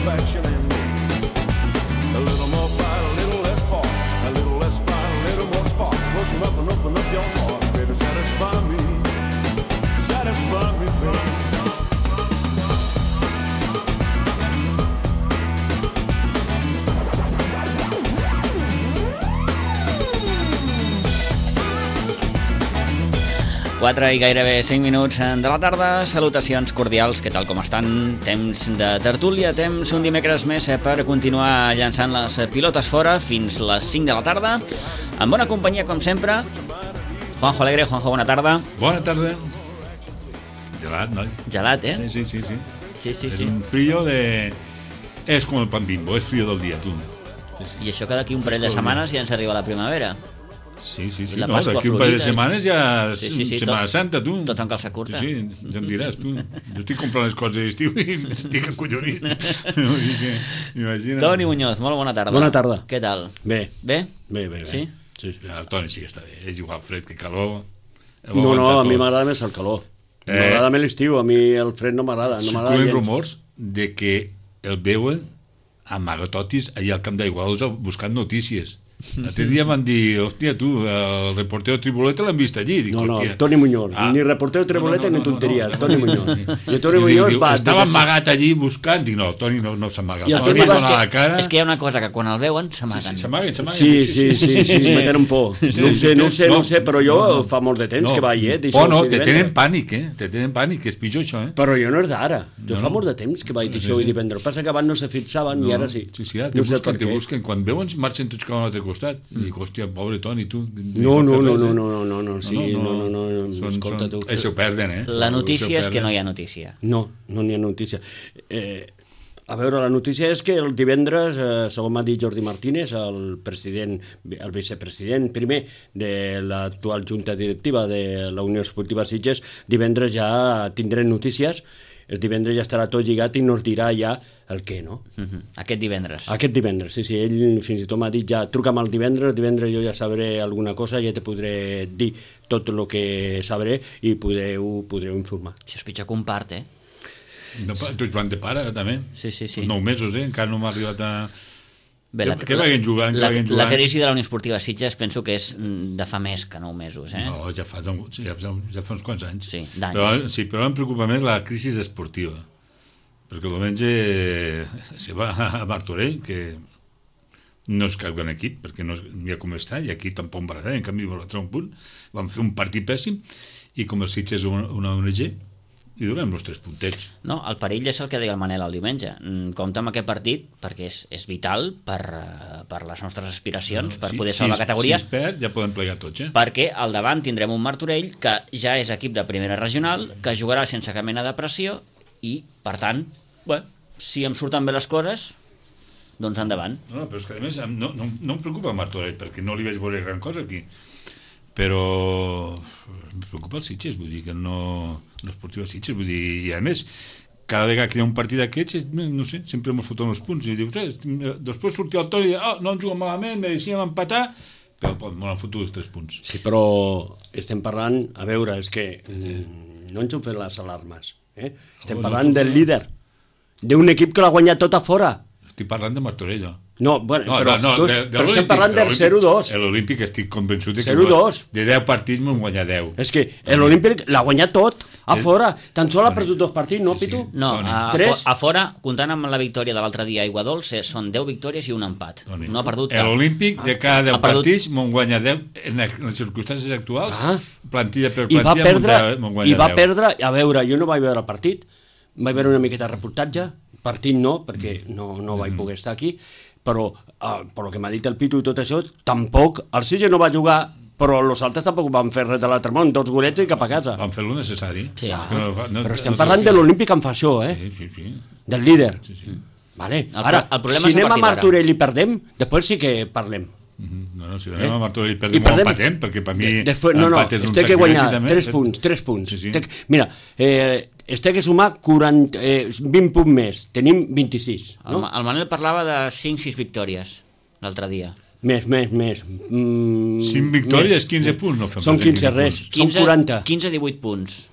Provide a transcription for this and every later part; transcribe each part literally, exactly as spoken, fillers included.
satisfaction in me. A little more fight, a little less part, a little less fight, a little more spark. Close enough and open up your heart, baby, satisfy me, satisfy me, baby. quatre i gairebé cinc minuts de la tarda. Salutacions cordials, què tal com estan? Temps de tertúlia, temps un dimecres més per continuar llançant les pilotes fora fins les cinc de la tarda, amb bona companyia com sempre. Juanjo Alegre. Juanjo, bona tarda. Bona tarda. Gelat, noi? Gelat, eh? Sí, sí, sí, sí. Sí, sí, es sí. un frío de... Es com el pan bimbo, es frío del dia, tu. Sí, sí. I això que d'aquí un parell de setmanes ja ens arriba la primavera. Sí, sí, sí. La No, Pasqua d'aquí un parell de Florida. setmanes ja és Sí, sí, sí, Setmana tot- Santa, tu. tots amb calça curta. Sí, sí, ja em diràs, tu. Jo estic comprant les coses d'estiu i estic acollonit. Vull dir que, imagina. Toni Muñoz, molt bona tarda. Bona tarda. Què tal? Bé. Bé? Bé, bé, bé. Sí? Sí, sí. El Toni sí que està bé, és igual fred que calor. Ho No, no, aguanta a mi tot. m'agrada més el calor. Eh. M'agrada més l'estiu, a mi el fred no m'agrada. No m'agrada Circulen gens. rumors de que el veuen amagatotis allà al camp d'Aiguadols buscant notícies. L'altre dia van dir, hòstia, tu, el reportero Triboleta l'han vist allí. Dic, No, no, hòstia. Toni Muñoz. Ah. Ni reportero Treboleta No, no, no, ni tonteries. no, no, Toni no, Muñoz. no, no. I Toni I Muñoz diu, va... estava de- amagat allí buscant. Dic, no, Toni no, no s'amaga. I el Toni Toni va va- donar la cara. És que hi ha una cosa que quan el veuen Sí, s'amaguen. sí, s'amaguen, s'amaguen. Sí, sí, sí, sí, sí, me tenen por. No ho sé, no ho sé, no ho sé, però jo No, no. fa molt de temps No. que vaig, eh? Oh, no, Dijous i te divendres. tenen pànic, eh? Te tenen pànic, que és pitjor això, eh? Però jo no és d'ara. Jo No, fa no. molt de temps que vaig Sí, dijous sí. i divendres. Passa que abans no se fixaven i ara sí. Sí, sí, ara te No sé busquen, per te què. busquen. Quan veuen, marxen tots cap a un altre costat. I dic, hòstia, pobre Toni, tu. No, no, fas no, res, no, eh? no, no, no, no, sí, no, no, no, no, Són- escolta són- tu. Això ho perden, eh? La notícia és Això ho que no perden. hi ha notícia. No, no n'hi ha notícia. Eh, a veure, la notícia és que el divendres, eh, segons m'ha dit Jordi Martínez, el president, el vicepresident primer de l'actual junta directiva de la Unió Esportiva Sitges, divendres ja tindrem notícies, el divendres ja estarà tot lligat i nos dirà ja el què, no? Mhm. Aquest divendres. Aquest divendres, sí, sí, ell fins i tot m'ha dit ja, truca'm el divendres, divendres jo ja sabré alguna cosa, ja te podré dir tot el que sabré i podreu, podreu informar. Això és pitjor que un part, eh? No, pa- tu ets van de pare, també. Sí, sí, sí. Nou mesos, eh? Encara no m'ha arribat a... Bé, Que- que vagin jugant, que la, vagin la jugant. crisi de la Unió Esportiva Sitges penso que és mm, de fa més que nou mesos, eh? No, ja fa, ja, fa, ja fa uns quants anys. Sí, d'anys. Però, sí, però em preocupa més la crisi esportiva. Perquè el diumenge se va a Martorell, que no és cap gran equip, perquè no és, mira com està, i aquí tampoc va res, en canvi va treure un punt, van fer un partit pèssim, i com el Sitges és una, una O N G, i donem els tres puntets. No, el perill és el que deia el Manel el diumenge. Mm, Compte amb aquest partit perquè és, és vital per, eh, per les nostres aspiracions, per Si- poder si salvar es- categoria, Si es perd, ja podem plegar tots, eh? perquè al davant tindrem un Martorell que ja és equip de primera regional, que jugarà sense cap mena de pressió i, per tant, bé, si em surten bé les coses, doncs endavant. No, no, però és que a més em- no, no, no em preocupa el Martorell, perquè no li vaig veure gran cosa aquí, però em preocupa el Sitges, vull dir que no l'esportiva Sitges, vull dir, i a més cada vegada que hi ha un partit d'aquests, no sé, sempre m'ho foten els punts i dius, eh, després sortia el Toni i diu, oh, no ens juguen malament, mereixíem empatar, però me l'han fotut els tres punts. Sí, però estem parlant, a veure, és que mm, no ens hem fet les alarmes, eh? Estem Oh, no parlant ens ho del fem. líder, d'un equip que l'ha guanyat tot a fora. Estic parlant de Martorell, no? No, bueno, No, però, no, no, tu, de, de però estem l'Olímpic, parlant de del l'Olímpic. zero dos. L'Olímpic estic convençut de que zero dos. de deu partits m'ho guanya deu. És que l'Olímpic l'ha guanyat tot, a fora. Tan sol ha perdut dos partits, no, Sí, sí. Pitu? No, Toni. a, a, Tres. fo- a fora, comptant amb la victòria de l'altre dia a Aiguadols, eh, són deu victòries i un empat. Toni. No ha perdut cap. L'Olímpic, de cada deu Ha perdut- partits, m'ho guanya deu, en les circumstàncies actuals, Ah. plantilla per I va plantilla, perdre, m'ho guanya i va deu. perdre, a veure, jo no vaig veure el partit, vaig veure una miqueta de reportatge, partit no, perquè no, no vaig poder estar aquí, però uh, per lo que m'ha dit el Pitu i tot això, tampoc, el Sitges no va jugar, però els altres tampoc van fer res de l'altre món, dos golets i cap a casa. Van fer lo necessari. Sí. És que no fa- no- Però estem no- parlant de l'Olímpic en fa això, eh? Sí, sí, sí. Del líder. sí, sí. Vale. El Ara, pro- el problema si és a anem a partir d'ara. Martorell i perdem, després sí que parlem. Mhm. No, no, si anem Eh? a Martorell i I perdem, perdem- o empatem, perquè per mi De- Després, no, no, l'empat és un es té que sacrilegi guanyar també. tres punts, tres punts. Sí, sí. Té que- Mira, eh, es té que sumar quaranta, eh, vint punts més, tenim vint-i-sis, El, no? Ma- el Manel parlava de cinc sis victòries l'altre dia. Més, més, més. Mm, Cinc victòries, més. quinze punts, no fem Són pas quinze quinze res, punts. són quaranta. quinze divuit punts.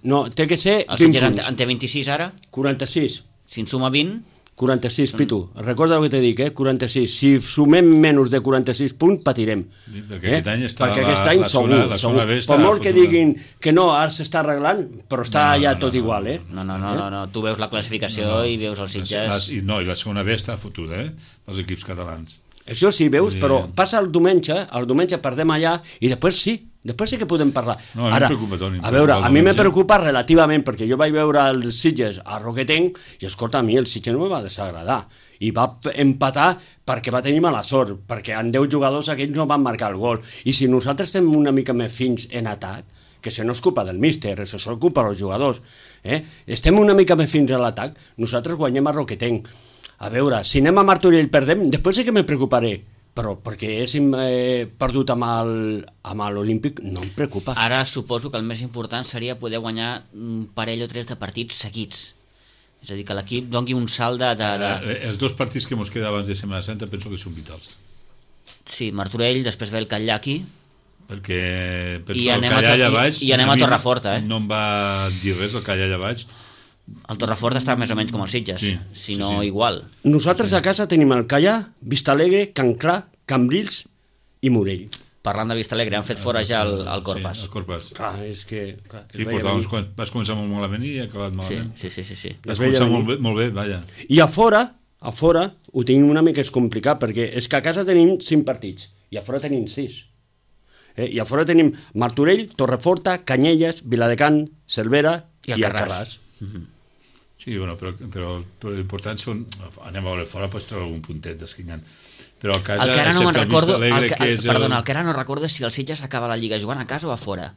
No, té que ser El vint Sitges en, punts. en té vint-i-sis ara. quaranta-sis. Si en suma vint, quaranta-sis, Pitu, recorda el que t'he dit, eh? quaranta-sis. Si sumem menys de quaranta-sis punts, patirem. Sí, perquè aquest any està perquè la- aquest any la segur, zona- la segur. zona B està Per molt que fotuda. diguin que no, ara s'està arreglant, però està No, allà no, tot no, igual, eh? No, no, no, no, no. Tu veus la classificació No, no. i veus els La- Sitges... I no, i la segona B està fotuda, eh? Els equips catalans. Això sí, veus, Sí. però passa el diumenge, el diumenge perdem allà i després sí, després sí que podem parlar. No, a mi em preocupa, Toni, em a veure, preocupa el a mi me diumenge. preocupa relativament, perquè jo vaig veure els Sitges a Roquetenc i, escolta, a mi el Sitges no me va desagradar. I va empatar perquè va tenir mala sort, perquè en deu jugadors aquells no van marcar el gol. I si nosaltres estem una mica més fins en atac, que això no és culpa del míster, això és culpa dels jugadors, eh? estem una mica més fins a l'atac, nosaltres guanyem a Roquetenc. A veure, si anem a Martorell i perdem, després sí que me preocuparé, però perquè haguéssim eh, perdut amb el- amb l'Olímpic no em preocupa. Ara suposo que el més important seria poder guanyar un parell o tres de partits seguits. És a dir, que l'equip doni un salt de... de, de... Eh, els dos partits que mos queda abans de Setmana Santa penso que són vitals. Sí, Martorell, després ve el Catllà aquí, Perquè penso I que el anem a Callà Tor- allà i- baix... i anem a mi Torreforta, eh? No em va dir res el Callà allà baix. el Torrefort està més o menys com els Sitges, Sí, si sí, no sí. igual. Nosaltres a casa tenim el Callà, Vistalegre, Can Clar, Cambrils i Morell. Parlant de Vistalegre, han fet fora ja el, el Corpas. Sí, el Corpas. Clar, és que... Clar, es Sí, veia portava uns venir. quants... Vas començar molt malament i he acabat Sí, malament. sí, sí, sí, sí. Vas Es veia començar venir. molt bé, molt bé, vaja. I a fora, a fora, ho tenim una mica és complicat, perquè és que a casa tenim cinc partits, i a fora tenim sis. Eh? I a fora tenim Martorell, Torreforta, Canyelles, Viladecans, Cervera I i, Alcarràs. Alcarràs. Sí, bueno, però, però, però l'important són... Anem a veure fora, pots treure algun puntet d'esquinyant. Però a casa, El que ara no me'n excepte el recordo, el Vistalegre, que, que el, és perdona, el que ara no recordo és si el Sitges acaba la Lliga jugant a casa o a fora.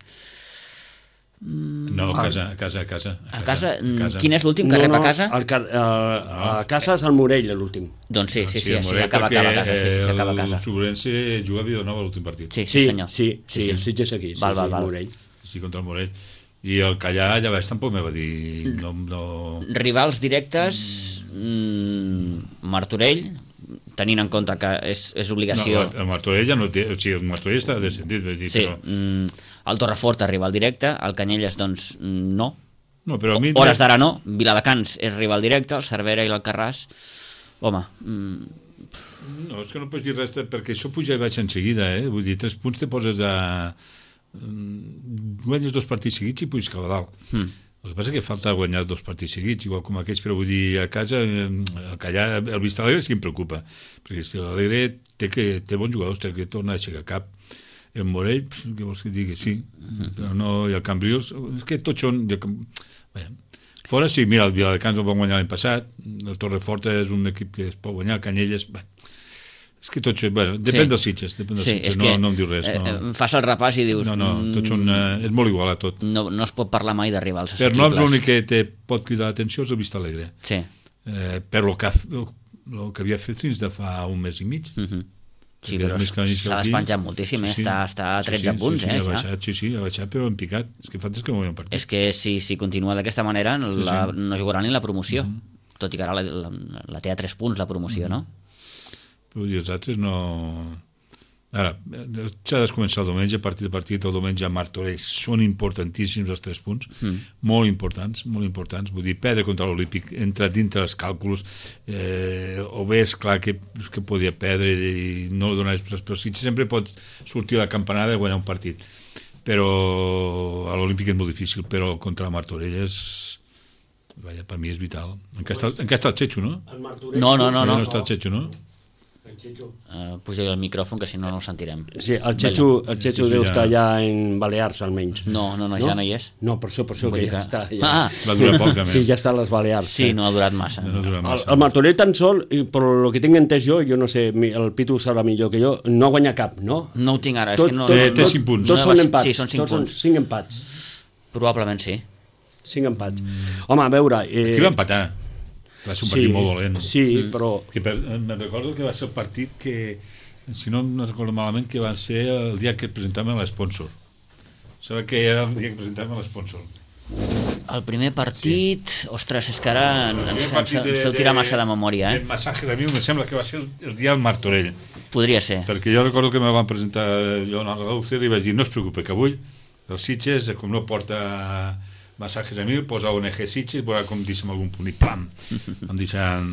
No, a casa, a casa, a casa. A casa, mm, quin és l'últim que rep a casa? El, car- eh, a casa és el Morell, l'últim. Doncs sí, sí, sí, el sí, Morell, acaba, perquè, acaba a casa, sí, sí, sí, acaba a El casa. Sobrense juga a Vilanova l'últim partit. Sí, sí, senyor. Sí, sí, el Sitges aquí, sí, Val, val, sí, val. el Morell. Sí, contra el Morell. I el Callà allà baix tampoc me va dir... No, no... Rivals directes, mm, Martorell, tenint en compte que és, és obligació... No, el Martorell ja no té... O sigui, el Martorell està descendit, vull dir, Sí, però... mm, el Torrefort rival directe, el Canyelles, doncs, mm, no. No, però a mi... Hores d'ara no, Viladecans és rival directe, el Cervera i l'Alcarràs... Home, mm, No, és que no pots dir res, perquè això puja i baix en seguida, eh? Vull dir, tres punts te poses a... Guanyes dos partits seguits i puges cap a dalt. mm. El que passa que falta guanyar dos partits seguits, igual com aquells, però vull dir, a casa, eh, el Callà, el Vistalegre sí que em preocupa, perquè si l'Alegre té, que, té bons jugadors, té que tornar a aixecar cap. El Morell, pss, què vols que digui? Sí, però no, i el Cambrils, és que tots són... Jo, vaja, fora sí, mira, el Viladecans el van guanyar l'any passat, el Torrefort és un equip que es pot guanyar, el Canyelles... Bé, és que tots... Bueno, depèn Sí. dels Sitges, depèn dels sí, Sitges, és no, que no em diu res. eh, No, eh, fas el repàs i dius... no, no tots són... Eh, és molt igual a tot. No, no es pot parlar mai de rivals Per noms assequibles. l'únic que te pot cridar l'atenció és el Vistalegre. Sí. Eh, per lo que, ha- lo que havia fet fins de fa un mes i mig. Mhm. Sí, Perquè però més que venir s'ha aquí- despenjat moltíssim, eh? està, està a tretze sí, punts, sí, sí, eh? ha ja. baixat, sí, sí, ha baixat, però en picat. És que falta és que no guanyem partit. És que si, si continua d'aquesta manera la, no jugarà ni la promoció, Mhm. tot i que ara la, la, la té a tres punts la promoció, no? Però vull dir, els altres no... Ara, s'ha de començar el diumenge, partit a partit, el diumenge a Martorell són importantíssims els tres punts, Mm. molt importants, molt importants. Vull dir, perdre contra l'Olímpic, entra dintre els càlculs, eh, o bé és clar que, que podia perdre i no donar després, però sí que sempre pot sortir a la campanada i guanyar un partit. Però a l'Olímpic és molt difícil, però contra la Martorell és... Vaja, per mi és vital. En què està, en què està el Chechu, no? El Martorell... No, no, no, Sí, no. no està el Chechu, no? El Chechu. Uh, puja el micròfon, que si no no el sentirem. Sí, el Chechu, el Chechu Chechu deu ja- estar allà en Balears, almenys. No, no, no, ja no hi és. No, per això, per això Vull que dir ja que- està. Ja. Ah, Va durar poc, també. Sí, ja està a les Balears. sí, no ha durat massa. No dura El, massa. el Martorell tan sol, i per lo que tinc entès jo, jo no sé, mi- el Pitu ho sabrà millor que jo, no guanya cap, no? No ho tinc ara, és Tot, que no... tot, Té- té tot- cinc punts. Tots No, són va- empats. sí, són cinc tots punts. Són cinc empats. Probablement sí. Cinc empats. Home, a veure... Eh, Aquí va empatar. Va ser un partit molt dolent. Sí, però... Que per, me'n recordo que va ser el partit que, si no no recordo malament, que va ser el dia que presentàvem l'esponsor. Sabe que era el dia que presentàvem l'esponsor. El primer partit... Sí. Ostres, és que ara ens El fem, partit ens feu tirar massa de memòria, El eh? massatge de mi me sembla que va ser el, el dia del Martorell. Podria ser. Perquè jo recordo que me van presentar jo en el Galúcer i vaig dir, no es preocupe, que avui els Sitges, com no porta massatges a mi, posa O N G Sitges, veurà com deixem algun punt i pam, em deixen...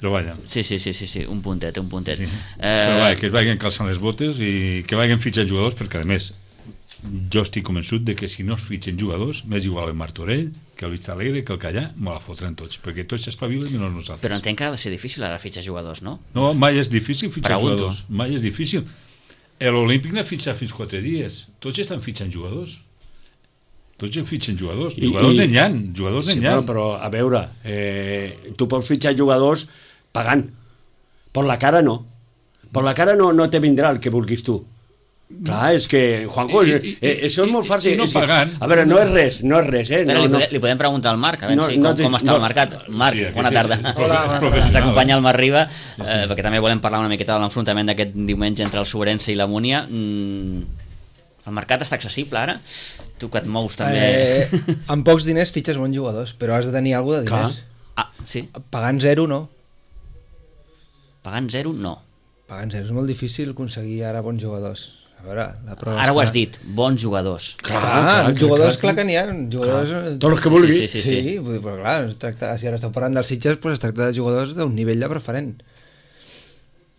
però vaja. Sí, sí, sí, sí, sí, un puntet, un puntet. Sí. Eh... Però vaja, que es vagin calçant les botes i que vagin fitxant jugadors, perquè a més jo estic convençut de que si no es fitxen jugadors, m'és igual el Martorell que el Vista Alegre, que el Callà, me la fotran tots, perquè tots s'espavilen menys nosaltres. Però entenc que ha de ser difícil ara fitxar jugadors, no? No, mai és difícil fitxar Pregunto. jugadors, mai és difícil. L'Olímpic n'ha fitxat fins quatre dies, tots estan fitxant jugadors. Tots ja fitxen jugadors, I- jugadors i- n'hi ha, jugadors Sí, n'hi ha. bueno, però a veure, eh, tu pots fitxar jugadors pagant. Per la cara no. Per la cara no, no te vindrà el que vulguis tu. Clar, és que, Juanjo, I- I, i- eh, això és molt fàcil. i no és que, pagant. a veure, no és res, no és res, eh? Espera, No, li, no. podem, li podem preguntar al Marc, a veure No, si, no com, t'hi- com està no. el mercat. Marc, Sí, aquest bona és- tarda. és profe- Hola, és bona professional. Ens acompanya el Marc Riba, eh, perquè també volem parlar una miqueta de l'enfrontament d'aquest diumenge entre el Sobrense i la Múnia. Mm, el mercat està accessible ara? Tu que et mous també... Eh, amb pocs diners fitxes bons jugadors, però has de tenir alguna de Clar. diners. Ah, sí? Pagant zero, no. Pagant zero, no. Pagant zero és molt difícil aconseguir ara bons jugadors. A veure, la prova Ara ho està- has dit, bons jugadors. Clar, Clar, clar, clar, jugadors clar, clar, que n'hi ha. Jugadors, eh, Tots els que vulguis. Sí, Sí, sí, sí, sí. vull dir, però clar, es tracta, si ara esteu parlant dels Sitges, doncs es tracta de jugadors d'un nivell de preferent.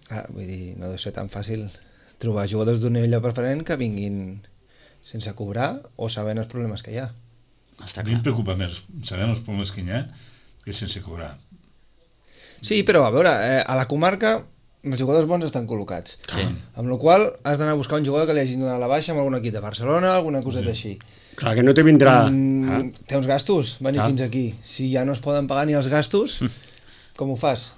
Ah, vull dir, no deu ser tan fàcil trobar jugadors d'un nivell de preferent que vinguin sense cobrar o sabent els problemes que hi ha. Està A mi em clar. preocupa més saber els problemes que hi ha que sense cobrar. Sí, però a veure, eh, a la comarca els jugadors bons estan col·locats. Sí. Amb la qual cosa has d'anar a buscar un jugador que li hagin donat la baixa amb algun equip de Barcelona, alguna coseta així. Clar, que no te vindrà... Mm, Ah. té uns gastos, venir Clar. fins aquí. Si ja no es poden pagar ni els gastos, com ho fas?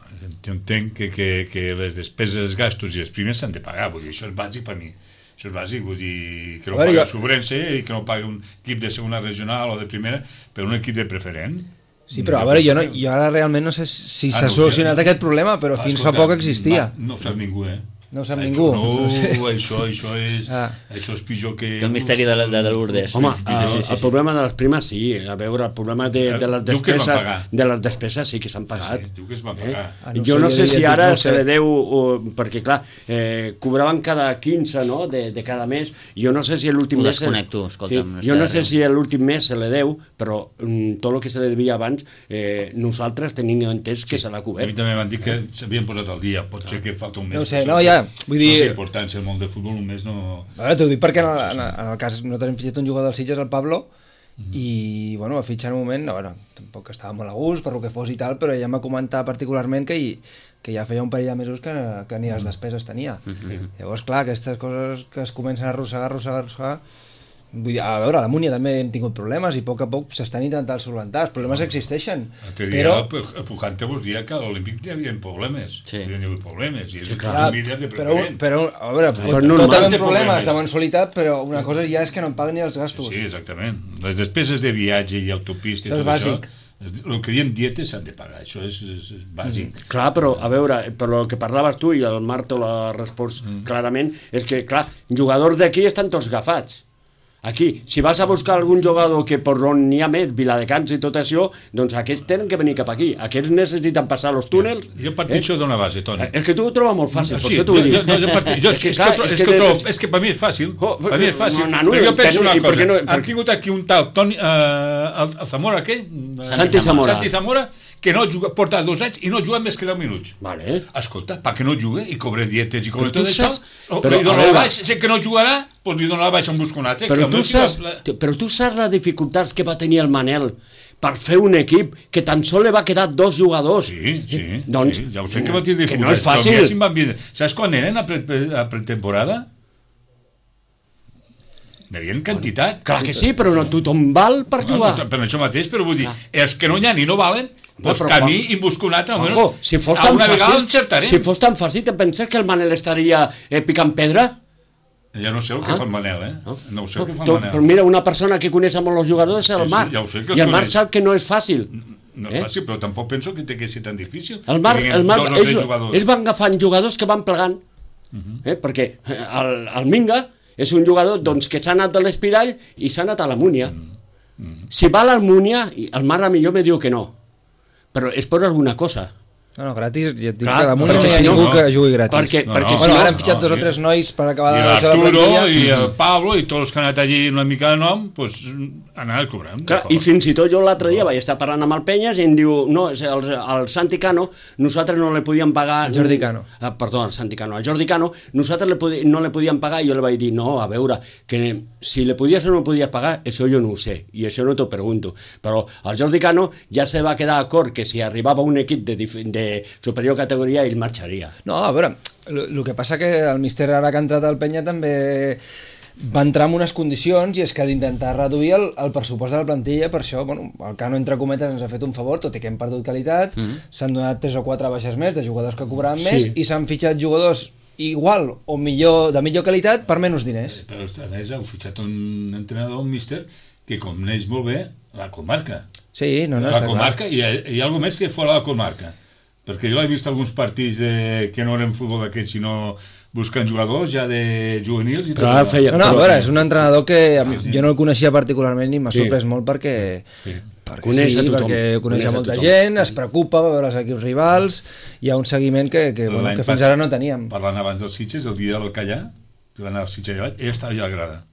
Jo entenc que, que, que les despeses, els gastos i els primers s'han de pagar, vull dir, això és bàsic per mi. Això és bàsic, vull dir, que no A veure, pagui el jo- Sobrense i que no pagui un equip de segona regional o de primera, però un equip de preferent. Sí, però a veure, jo, no, jo ara realment no sé si Ah, s'ha no, solucionat ja- aquest problema, però fins fa Escolta, poc existia. va, No ho sap ningú, eh? No ho sap això, ningú. No, Sí. això, això, és, Ah. això és pitjor que... Que el misteri de, de, de Lourdes. Home, Sí, sí, el, sí, sí. el problema de les primes sí, a veure, el problema de, de les Diu que es van despeses pagar. de les despeses sí que s'han pagat. Sí, diu que es van pagar. Ah, no jo sé, no jo sé si diria, ara no se sé. li deu, o, perquè clar, eh, cobraven cada quinze, no?, de, de cada mes. Jo no sé si l'últim Ho mes... desconnecto, escolta'm, no sí, jo està no sé arreu. si l'últim mes se li deu, però mm, tot el que se li devia abans, eh, nosaltres tenim entès que se l'ha A mi cobert. també m'han dit que s'havien posat al dia, pot ser que falta un mes. No ho sé, per no, això. ja, vull dir- No té importància el món del futbol, un mes no... A veure, t'ho dic perquè en el, en, el, en el cas nosaltres hem fitxat un jugador del Sitges, el Pablo, i bueno, va fitxar en un moment, no, bueno, tampoc estava molt a gust per lo que fos i tal, però ella em va comentar particularment que, hi, que ja feia un parell de mesos que, que ni les despeses tenia. Llavors, clar, aquestes coses que es comencen a arrossegar, arrossegar, arrossegar, vull dir, a veure, a la Múnia també hem tingut problemes i a poc a poc s'estan intentant solventar, els problemes existeixen, L'altre dia, però... però... el Pujante vos dia que a l'Olímpic hi havia problemes. Sí. Hi havia problemes. I és sí, Clar, un líder de però, preferent. però, a veure, Però pot, normal. pot haver Té problemes problemes. de mensualitat, però una cosa ja és que no em paguen ni els gastos. Sí, exactament. Les despeses de viatge i autopista i Això és tot bàsic. això, el que diem dietes s'han de pagar, això és, és, és bàsic. Mm. Clar, però, a veure, per el que parlaves tu, i el Marc te l'ha respost mm. clarament, és que, clar, jugadors d'aquí estan tots agafats. Aquí, si vas a buscar algun jugador que per on n'hi ha més, Viladecans i tot això, doncs aquests tenen que venir cap aquí. Aquests necessiten passar els túnels. Jo parteixo eh? d'una base, Toni. És que tu ho trobes molt fàcil, per Sí, això t'ho jo, dic. jo, jo, jo, parti- jo, és, que, és, clar, que, tro- és és, que, que trobo, de- és que per mi és fàcil. Oh, per mi és fàcil. no, no, Però jo penso per- una i per cosa. què no- Han per- tingut aquí un tal Toni, eh, el, el Zamora aquell, eh, Santi Zamora. Santi Zamora, que no juga, porta dos anys i no juga més que deu minuts. Vale. Escolta, per què no juga i cobre dietes i cobre Però tot tu això? saps- O, però, li dono a la veure- baixa, sé que no jugarà, doncs li dono la baixa en busca un altre. Però que el tu, meu saps, fill la- però tu saps les dificultats que va tenir el Manel per fer un equip que tan sol li va quedar dos jugadors. Sí, sí, doncs, sí, ja ho sé que va tenir que no és dificultats, fàcil. però mira si em van vindre. Saps quan eren a, pre a pretemporada? N'havien quantitat. Clar que sí, però no tothom val per jugar. Bueno, per això mateix, però vull dir, els que no hi ha ni no valen, doncs però camí quan- i busco un altre, almenys Ojo, si fos a tan una vegada fàcil, encertarem. si fos tan fàcil, te penses que el Manel estaria eh, picant pedra? Ja no sé el que Ah. fa el Manel, eh? No ho sé el que fa el Tu- Manel. Però mira, una persona que coneix molt els jugadors és el Sí, sí, Marc. ja ho sé que els I el Marc coneix. sap que no és fàcil. No és Eh? fàcil, però tampoc penso que té que ser tan difícil. El Marc, Que vinguin el Marc dos o tres ells, jugadors. ells van agafant jugadors que van plegant. eh? Perquè el, el Minga és un jugador doncs, que s'ha anat de l'Espirall i s'ha anat a la Múnia. Si va a la Múnia, el Marc a millor me diu que no. Però és per alguna cosa. No, no, gratis, ja et dic Clar, que a la Múnia no perquè hi ha si no, ningú no. que jugui gratis. Perquè, No, perquè no. si Bueno, no... ara han fitxat no, dos o sí. tres nois per acabar I de la seva l'Arturo plantilla. i el Pablo i tots els que han anat allí una mica de nom, doncs anaven cobrant. Clar, i fins i tot jo l'altre dia vaig estar parlant amb el Penyes i em diu, no, és el, el Santi Cano, nosaltres no le podíem pagar... El Jordi Cano. Ah, perdó, el Santi Cano. El Jordi Cano, nosaltres le podi, no le podíem pagar i jo li vaig dir, no, a veure, que si le podies o no podies pagar, això jo no ho sé, i això no t'ho pregunto. Però el Jordi Cano ja se va quedar d'acord que si arribava un equip de, dif- de superior categoria ell marxaria. No, a veure, el que passa que el míster ara que ha entrat al Penya també va entrar en unes condicions i és que d'intentar reduir el, el pressupost de la plantilla, per això, bueno, el Cano entre cometes ens ha fet un favor, tot i que hem perdut qualitat, mm. s'han donat tres o quatre baixes més de jugadors que cobraven Sí. més i s'han fitxat jugadors igual o millor de millor qualitat per menys diners. Però a més heu fitxat un entrenador, un míster, que coneix molt bé la comarca. Sí, no, no, la està comarca clar. i hi ha, hi ha alguna més que fora de la comarca. Perquè jo he vist alguns partits de, que no eren futbol d'aquests, sinó buscant jugadors ja de juvenils i tot Clar, això. feia- No, no, a però- veure, és un entrenador que a mi- Sí, sí. jo no el coneixia particularment i m'ha Sí. sorprès molt perquè, Sí. perquè Coneix sí, a tothom. perquè coneix Coneix a a molta tothom. gent, es preocupa va veure els equips rivals, hi ha un seguiment que, que, bueno, L'any que fins passat, ara no teníem. Parlant abans dels Sitges, el dia del Callà, que va anar al Sitges allà, ell estava allà a la grada.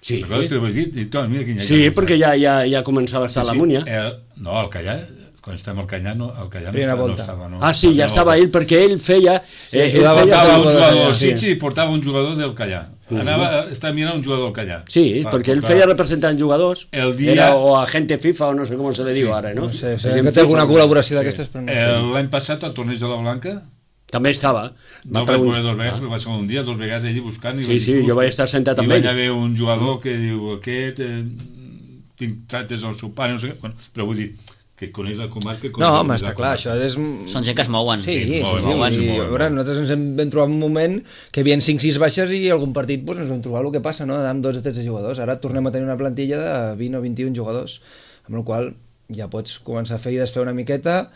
Sí, Recordes que ho vaig dir? I, tot, mira quin sí perquè ja, ja, ja començava a estar a la Múnia. El, no, el Callà, quan estàvem al Callà, no, el Callà no Primera estava, no volta. estava. No, Ah, sí, ja estava ell, perquè ell feia... Sí, eh, ell jugava feia Portava un jugador del jugador Callà, del sí. Sitges i portava un jugador del Callà. Anava, estava mirant un jugador del Callà. Sí, Va, perquè ell portava- feia representant jugadors, El dia- era o agente FIFA o no sé com se li diu ara, no? No sé, sé Agent que té alguna FIFA. col·laboració d'aquestes, però no sé. El- L'any passat, al torneig de la Blanca, També estava. no el vaig veure dos vegades, perquè va ser un dia, dos vegades allí buscant. I Sí, vaig sí, dir, jo vaig estar sentat amb I ell. vaig haver un jugador que diu, aquest, eh, tinc trates al seu pare, no sé què, bueno, però vull dir, que coneix la comarca... No, coneix home, la està comarca. clar, això és... Són gent que es mouen. Sí, sí, sí, mouen, sí, mouen, sí, mouen, a veure, mouen. nosaltres ens hem, vam trobar un moment que hi havia cinc sis baixes i algun partit doncs, ens vam trobar el que passa, no? Amb dotze o tretze jugadors. Ara tornem a tenir una plantilla de vint o vint-i-un jugadors, amb la qual ja pots començar a fer i desfer una miqueta.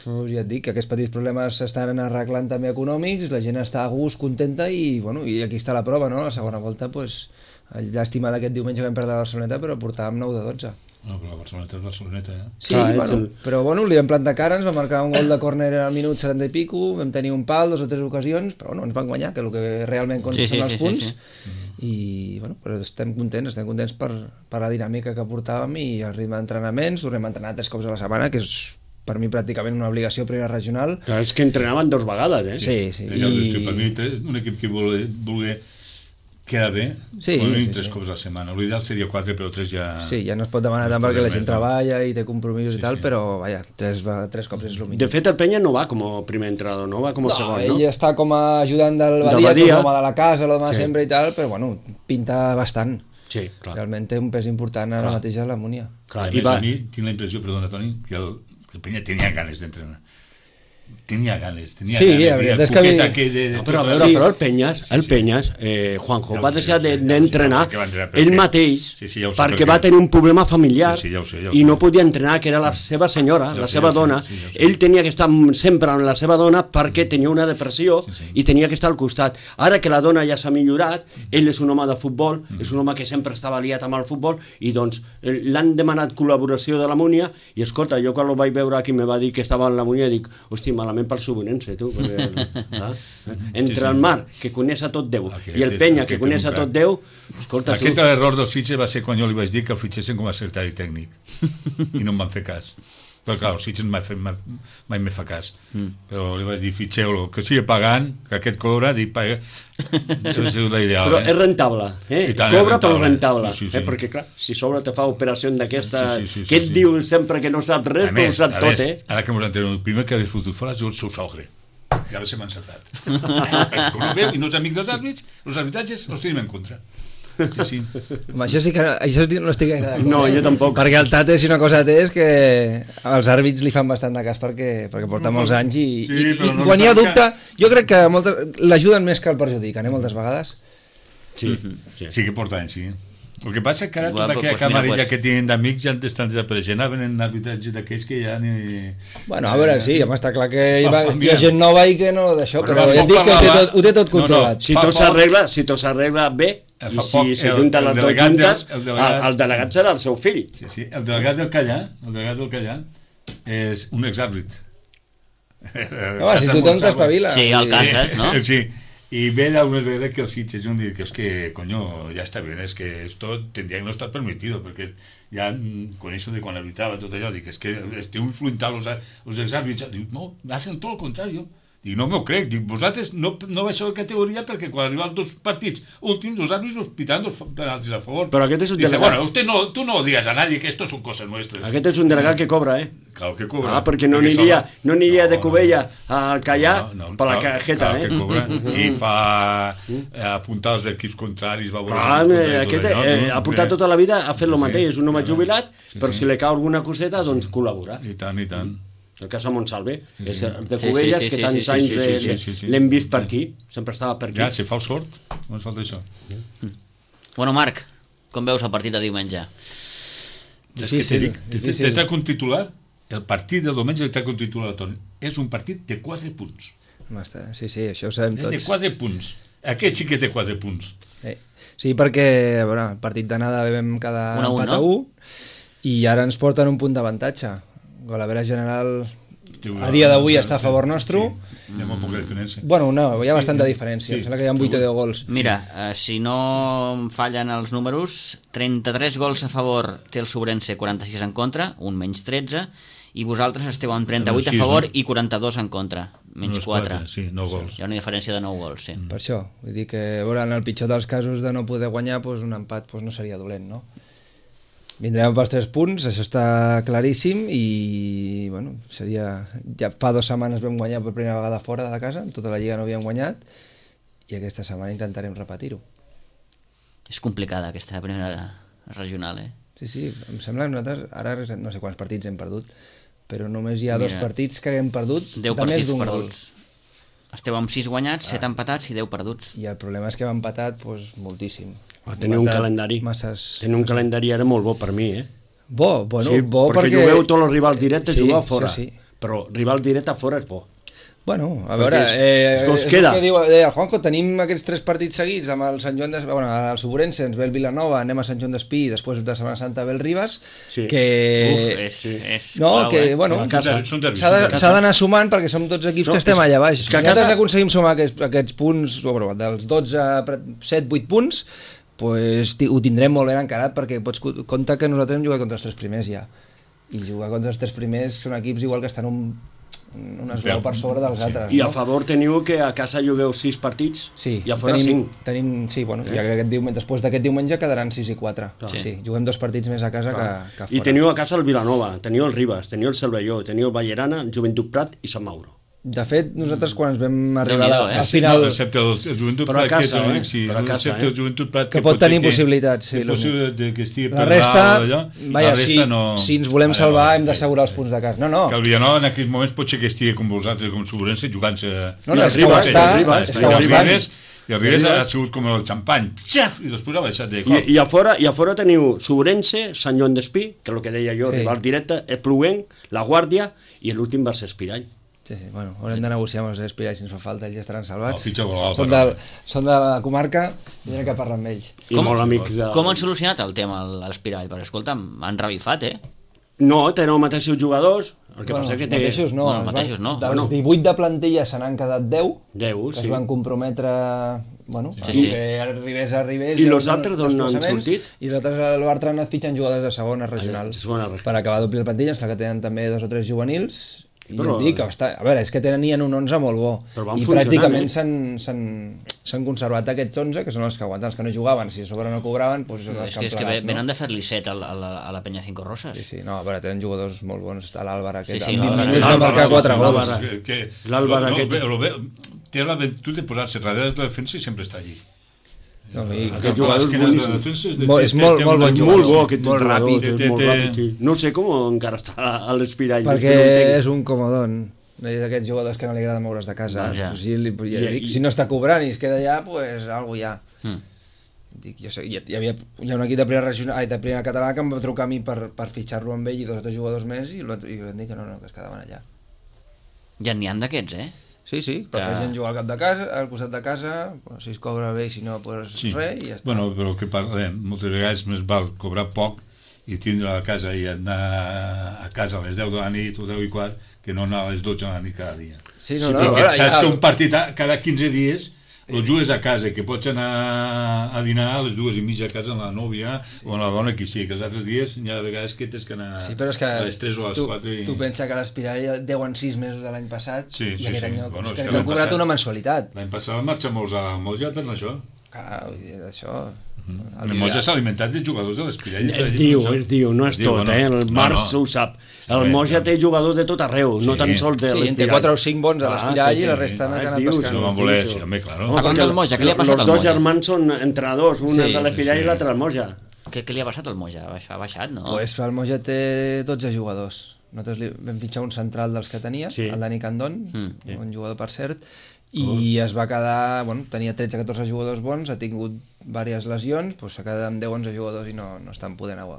Pues ja et dic que aquests petits problemes s'estan arreglant també econòmics, la gent està a gust, contenta i, bueno, i aquí està la prova, no? La segona volta, pues, llàstima d'aquest diumenge que vam perdre la Barceloneta, però portàvem nou de dotze. No, però la Barceloneta és Barceloneta, eh? Sí, Clar, bueno, el- però bueno, li vam plantar cara, ens va marcar un gol de córner al minut setanta i pico, vam tenir un pal, dos o tres ocasions, però no ens van guanyar, que és el que realment compta Sí, sí, són els sí, sí, punts, sí. i bueno, però estem contents, estem contents per, per la dinàmica que portàvem i el ritme d'entrenaments, tornem a entrenar tres cops a la setmana, que és per mi pràcticament una obligació a primera regional. Clar, és que entrenaven dos vegades, eh? Sí, sí, I... i... Per mi, un equip que vulgui, vulgui quedar bé, Sí, com a mínim sí, tres sí. cops a la setmana. L'ideal seria quatre, però tres ja... Sí, ja no es pot demanar no tant es perquè la podria gent més, no? treballa i té compromisos Sí, i tal, sí. però vaja, tres, va- tres cops és el mínim. De fet, el Penya no va com a primer entrenador, no va com a No, segon, ell no? està com a ajudant del Del Badia, que és Badia. l'home de la casa, l'home de Sí. sempre i tal, però bueno, pinta bastant. Sí, clar. Realment té un pes important ara Clar. mateix a la Múnia. clar. A I més, va... a mi tinc la impressió, perdona, Toni, que el, que el Penya tenia ganes d'entrenar. Tenia ganes, tenia Sí, ganes. la I veritat el és que cuquet vi- aquell de, de No, però a tot veure, el- però el Penyes, el Sí, sí. Penyes, eh, Juanjo, Ja ho va sé, deixar ja ho sé, de- ja ho sé, d'entrenar ja ho sé que va entrenar, ell perquè- mateix Sí, sí, ja ho sé, perquè perquè- va tenir un problema familiar Sí, sí, ja ho sé, ja ho i sé. no podia entrenar, que era la seva senyora, Ja ho la sé, seva ja ho sé, dona. sí, ja ho sé. Ell tenia que estar sempre amb la seva dona perquè tenia una depressió Sí, sí. i tenia que estar al costat. Ara que la dona ja s'ha millorat, ell és un home de futbol, Mm. és un home que sempre estava liat amb el futbol i doncs eh, l'han demanat col·laboració de la Múnia i escolta, jo quan el vaig veure aquí me va dir que estava en la Múnia dic, hosti, malament pel Subonense, tu, perquè, ah, entre Sí, sí. el Mar, que coneix a tot Déu, Aquest i el és- Penya, aquest que és coneix un a crac. tot Déu, escolta, tu... Aquest error dels Sitges va ser quan jo li vaig dir que el fitxessin com a secretari tècnic i no em van fer cas. Però clar, el Sitges mai, mai, mai me fa cas. Mm. Però li vaig dir, fitxeu-lo, que sigui pagant, que aquest cobra, dic, paga. Això ha sigut l'ideal. Però eh? és rentable, eh? I tant, és Cobra però rentable. rentable, Sí, sí, sí. eh? Perquè clar, si sobre te fa operació d'aquesta, Sí, sí, sí, sí, que et sí. diu sempre que no sap res, A però ho més, sap a tot, més, eh? ara que m'ho entenem, el primer que havia fotut fora ha sigut el seu sogre. Ja va ser encertat. Perquè com no veu, i no és amic dels àrbits, els arbitratges els tenim en contra. Sí, sí. Home, això sí que no, això no estic gaire d'acord. No, eh? jo tampoc. Perquè el Tate, si una cosa té, és que els àrbits li fan bastant de cas perquè, perquè porta molts anys i, Sí, i, però i no quan li hi ha fan dubte, jo crec que moltes- l'ajuden més que el perjudiquen, eh, moltes vegades. Sí, sí. Sí que porta anys, sí. El que passa és que ara Bueno, tota aquella pues mira, camarilla pues- que tenen d'amics ja estan desapareixent, ara venen arbitratges d'aquells que ja ni... Bueno, a veure, sí, home, està clar que hi, va, Ah, hi mira. ha gent nova i que no d'això, Però però fa ja et poc dic que ho té parlava- tot, ho té tot No, no, controlat. Si Fa tot poc- s'arregla, si tot s'arregla bé, Eh, i fa si poc, si el- junten el les dues delegat juntes, del- el delegat- el, el delegat serà el seu fill. Sí, sí. El delegat del Callà, el delegat del Callà, és un exàrbit. Home, si tothom t'espavila. Sí, el Casas, ¿no? Sí, y ve algunas veces que el Sitges un día que es que, coño, ya está bien, es que esto tendría que no estar permitido, porque ya mm, con eso de cuando arbitraba todo allò, dic, es que esteu influentant els, els exàrbits, dic, no, hacen tot el contrari, dic, no m'ho crec, dic, vosaltres no, no baixeu de categoria perquè quan arriben els dos partits últims, els àrbits us pitan dos penaltis a favor. Però aquest és un Dice, delegat. bueno, usted no, tú no digas a nadie que esto son cosas nuestras. Aquest és un delegat que cobra, eh? Claro que cobra. Ah, perquè no aniria, no aniria No, de Cubella al Callà no, no, per la clar, cajeta, clar eh? que cobra. I fa eh, apuntar els equips contraris, va veure Ah, els eh, equips aquest contraris, eh, tot allò, ha portat tota la vida a fer el Sí, mateix, és un home sí, jubilat, sí, però sí. si li cau alguna coseta, doncs col·labora. I tant, i tant. El cas de Montsalve, és el de Sí, Cubelles, sí, sí, que sí, tants sí, sí, anys sí, de- sí, sí, sí. l'hem vist per aquí, sempre estava per aquí. Ja, si fa el sort, no ens falta això. Bueno, Marc, com veus el partit de diumenge? És que Difícil, t'he dit, te, difícil. te trac un titular, el partit del diumenge li trac un titular a Toni. És un partit de quatre punts. Home, està- Sí, sí, això ho sabem És de tots. quatre punts. Aquest sí que és de quatre punts. Eh, Sí, perquè, a veure, el partit d'anada vam quedar Un a un, empat a no? un i ara ens porten un punt d'avantatge. Golavera general Té una- a dia d'avui està a favor nostre. Sí, hi ha molt poca diferència. Bueno, no, hi ha Sí, bastanta sí. diferència. Em Sí. sembla que hi ha vuit o deu gols. Mira, eh, si no em fallen els números, trenta-tres gols a favor té el Sobrense, quaranta-sis en contra, un menys tretze, i vosaltres esteu amb trenta-vuit a Sis, favor no? i quaranta-dos en contra, menys Unes quatre. Sí, nou gols. Hi ha una diferència de nou gols, sí. Per això, vull dir que, a veure, en el pitjor dels casos de no poder guanyar, doncs un empat doncs no seria dolent, no? Vindrem pels tres punts, això està claríssim i, bueno, seria... Ja fa dues setmanes vam guanyar per primera vegada fora de casa, en tota la lliga no havíem guanyat, i aquesta setmana intentarem repetir-ho. És complicada aquesta primera regional, eh? Sí, sí, em sembla que nosaltres ara no sé quants partits hem perdut, però només hi ha dos Mira, partits que hem perdut deu de més partits d'un gol. perduts. Esteu amb sis guanyats, set empatats i deu perduts. I el problema és que hem empatat doncs, moltíssim. Ah, teniu un Empatat calendari. Masses... Teniu un calendari ara molt bo per mi, eh? Bo, bueno, sí, bo perquè, perquè... jugueu tots els rivals directes, Sí, jugueu fora. sí, sí. Però rival directe fora és bo. Bueno, a Perquè veure, és- eh, és que us és queda. el que diu eh, el Juanjo, tenim aquests tres partits seguits amb el Sant Joan de... Bueno, el Sobrense, ens ve el Vilanova, anem a Sant Joan d'Espí i després de Setmana Santa ve el Ribas, Sí. que... Uf, és, és No, clau, que, eh? bueno, A casa. Són derbis, s'ha són de- derbis. s'ha d'anar sumant perquè som tots equips No, que estem és- allà baix. és Si que a nosaltres casa- aconseguim sumar aquests, aquests punts, o, bueno, dels dotze, set, vuit punts, pues, ti- ho tindrem molt ben encarat perquè pots co- comptar que nosaltres hem jugat contra els tres primers ja. I jugar contra els tres primers són equips igual que estan un, un esglaó per sobre dels Sí. altres. I a no? favor teniu que a casa jugueu sis partits Sí, i a fora tenim, cinc. tenim, sí, bueno, Eh? ja que aquest diumenge, després d'aquest diumenge quedaran sis i quatre. Sí. Sí, juguem dos partits més a casa que, que fora. I teniu a casa el Vilanova, teniu el Ribas, teniu el Cervelló, teniu el Vallerana, el Joventut Prat i Sant Mauro. De fet, nosaltres quan ens vam arribar Déu-n'hi-do, a, eh? al final... No, excepte el, el Joventut Però a Prat, que és casa, l'únic, eh? sí, Però a casa, excepte eh? el Joventut Prat, Que pot potser tenir possibilitats, sí, és lo- possible de que estigui La per resta, dalt, allò, vaja, la si, resta no... si ens volem Vale, salvar vale, hem d'assegurar els punts de casa. No, no, Que el Vilanova en aquells moments potser que estigui com vosaltres, com Sobrense, jugant-se... No, no, I és el que ho Ribas, està, el Ribas, és està, que ho i el estan. Ribes, i el Ribes El ha Ribas. sigut com el xampany, xaf, i després ha baixat de I, cop. i, a fora, I a fora teniu Sobrense, Sant Joan d'Espí, que és el que deia jo, Sí. rival directe, Espluguenc, La Guàrdia i l'últim va ser Espirall. Sí, sí, bueno, haurem de negociar amb els Espiralls si ens fa falta, ells ja estaran salvats. El fitxa global, Són, però. del, són de la comarca i tindrem que parlar amb ells. I Com- molt amics de... Com han solucionat el tema a l'Espirall? Perquè, escolta'm, han revifat, eh? No, tenen els mateixos jugadors, el que Bueno, passa que els té... mateixos no. Bueno, els es van- mateixos no. Dels Bueno. divuit de plantilla se n'han quedat deu, Deu, que sí. es van comprometre, bueno, Sí, sí, sí. que arribés, arribés... I hi ha los uns altres d'on han desplaçaments, sortit? I els altres al Bartra han anat fitxant jugadors de segona regional. de segona regional. Per acabar d'omplir la plantilla, em sembla que tenen també dos o tres juvenils, i Però- però, dic, que està, a veure, és que tenien un onze molt bo, Però van i funcionant, pràcticament eh? s'han s'han- s'han conservat aquests onze, que són els que aguanten, els que no jugaven, si a sobre no cobraven, doncs són els És que que, han és que plegat, ve- venen no? de fer-li set a, la- a, la, a la penya Cinco Roses. Sí, sí, no, a veure, tenen jugadors molt bons, a l'Àlvar aquest, Sí, sí, amb vint l'Àlvar, minuts va l'Àlvar, marcar quatre l'Àlvar, gols. l'Àlvar. Que- que- L'Àlvar no, aquest- bé, lo bé, té la virtut de posar-se darrere de la defensa i sempre està allí. No, i- Aquest jugador és boníssim. Molt- és molt- molt bon És jugador. molt bo aquest Molt jugador, ràpid. és Té- molt té- ràpid, sí. No sé com encara està a l'Espirall. perquè és que no ho entenc. és un comodón. És d'aquests jugadors que no li agrada moure's de casa. Vaja. O sigui, li, ja I- dic, i- si no està cobrant i es queda allà, pues algo hi ha. Mm. Dic, jo sé, hi, hi, havia, hi ha un equip de primera, regional, ai, de primera catalana que em va trucar a mi per, per fitxar-lo amb ell i dos o tres jugadors més i, l'altre- i vam dir que no, no, que es quedaven allà. Ja n'hi han d'aquests, eh? Sí, sí, prefereixen jugar al cap de casa, al costat de casa, pues, si es cobra bé i si no, pues Sí. res i ja està. Bueno, però el que parlem, moltes vegades més val cobrar poc i tindre a casa i anar a casa a les deu de la nit o deu i quart, que no anar a les dotze de la nit cada dia. Sí, no, Sí, no, perquè ara, saps ja... que un partit a- cada quinze dies el jugues a casa, que pots anar a dinar a les dues i mitja a casa amb la nòvia sí. o amb la dona que sí, que els altres dies hi ha vegades que tens que anar Sí, però és que a les tres o a les tu, quatre i... tu pensa que l'Espirall deuen sis mesos de l'any passat Sí, i sí, aquest sí. any no, Bueno, és que que no l'any han cobrat passat- una mensualitat. L'any passat van marxar molts a molts ja per això. Clar, vull dir, això... El molts ja s'ha alimentat de jugadors de l'Espirall. Es diu, es diu, no és Es diu, tot, no? eh? El No, Marc no. ho sap. El Sí, Moix ja sí. té jugadors de tot arreu, no Sí. tan sols de Sí, en té l'Espirall. quatre o cinc bons de Ah, l'Espirall té, i la té. resta han Ah, anat dius, pescant. No van voler, sí, home, claro. Ah, Parlant del Moja, què li ha passat Los al dos Moja? germans són entrenadors, un Sí, és de l'Espirall sí, i sí. l'altre al Moja. Què, què li ha passat al Moja? Ha baixat, no? Pues el Moja té dotze jugadors. Nosaltres li vam fitxar un central dels que tenia, Sí. el Dani Candón, Mm. un jugador per cert, i es va quedar, bueno, tenia tretze o catorze jugadors bons, ha tingut diverses lesions, pues s'ha quedat amb deu o onze jugadors i no, no estan podent agu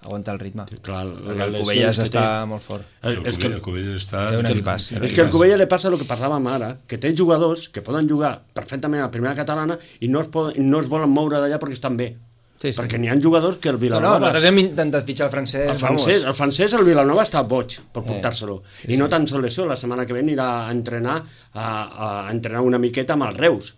aguantar el ritme. Clar, Perquè les el lesions Cubelles que està té. molt fort. El- És que, El Cubelles està... Té un és que- equipàs. és que al Cubella li passa el que parlàvem ara, que té jugadors que poden jugar perfectament a la primera catalana i no es, poden, no es volen moure d'allà perquè estan bé. Sí, sí. Perquè n'hi ha jugadors que el No, Vilanova... no, nosaltres hem intentat fitxar el francès, El francès, el francès, el Vilanova està boig per Eh, portar-se-lo. I no tan sols això, la setmana que ve anirà a entrenar, a, a entrenar una miqueta amb els Reus,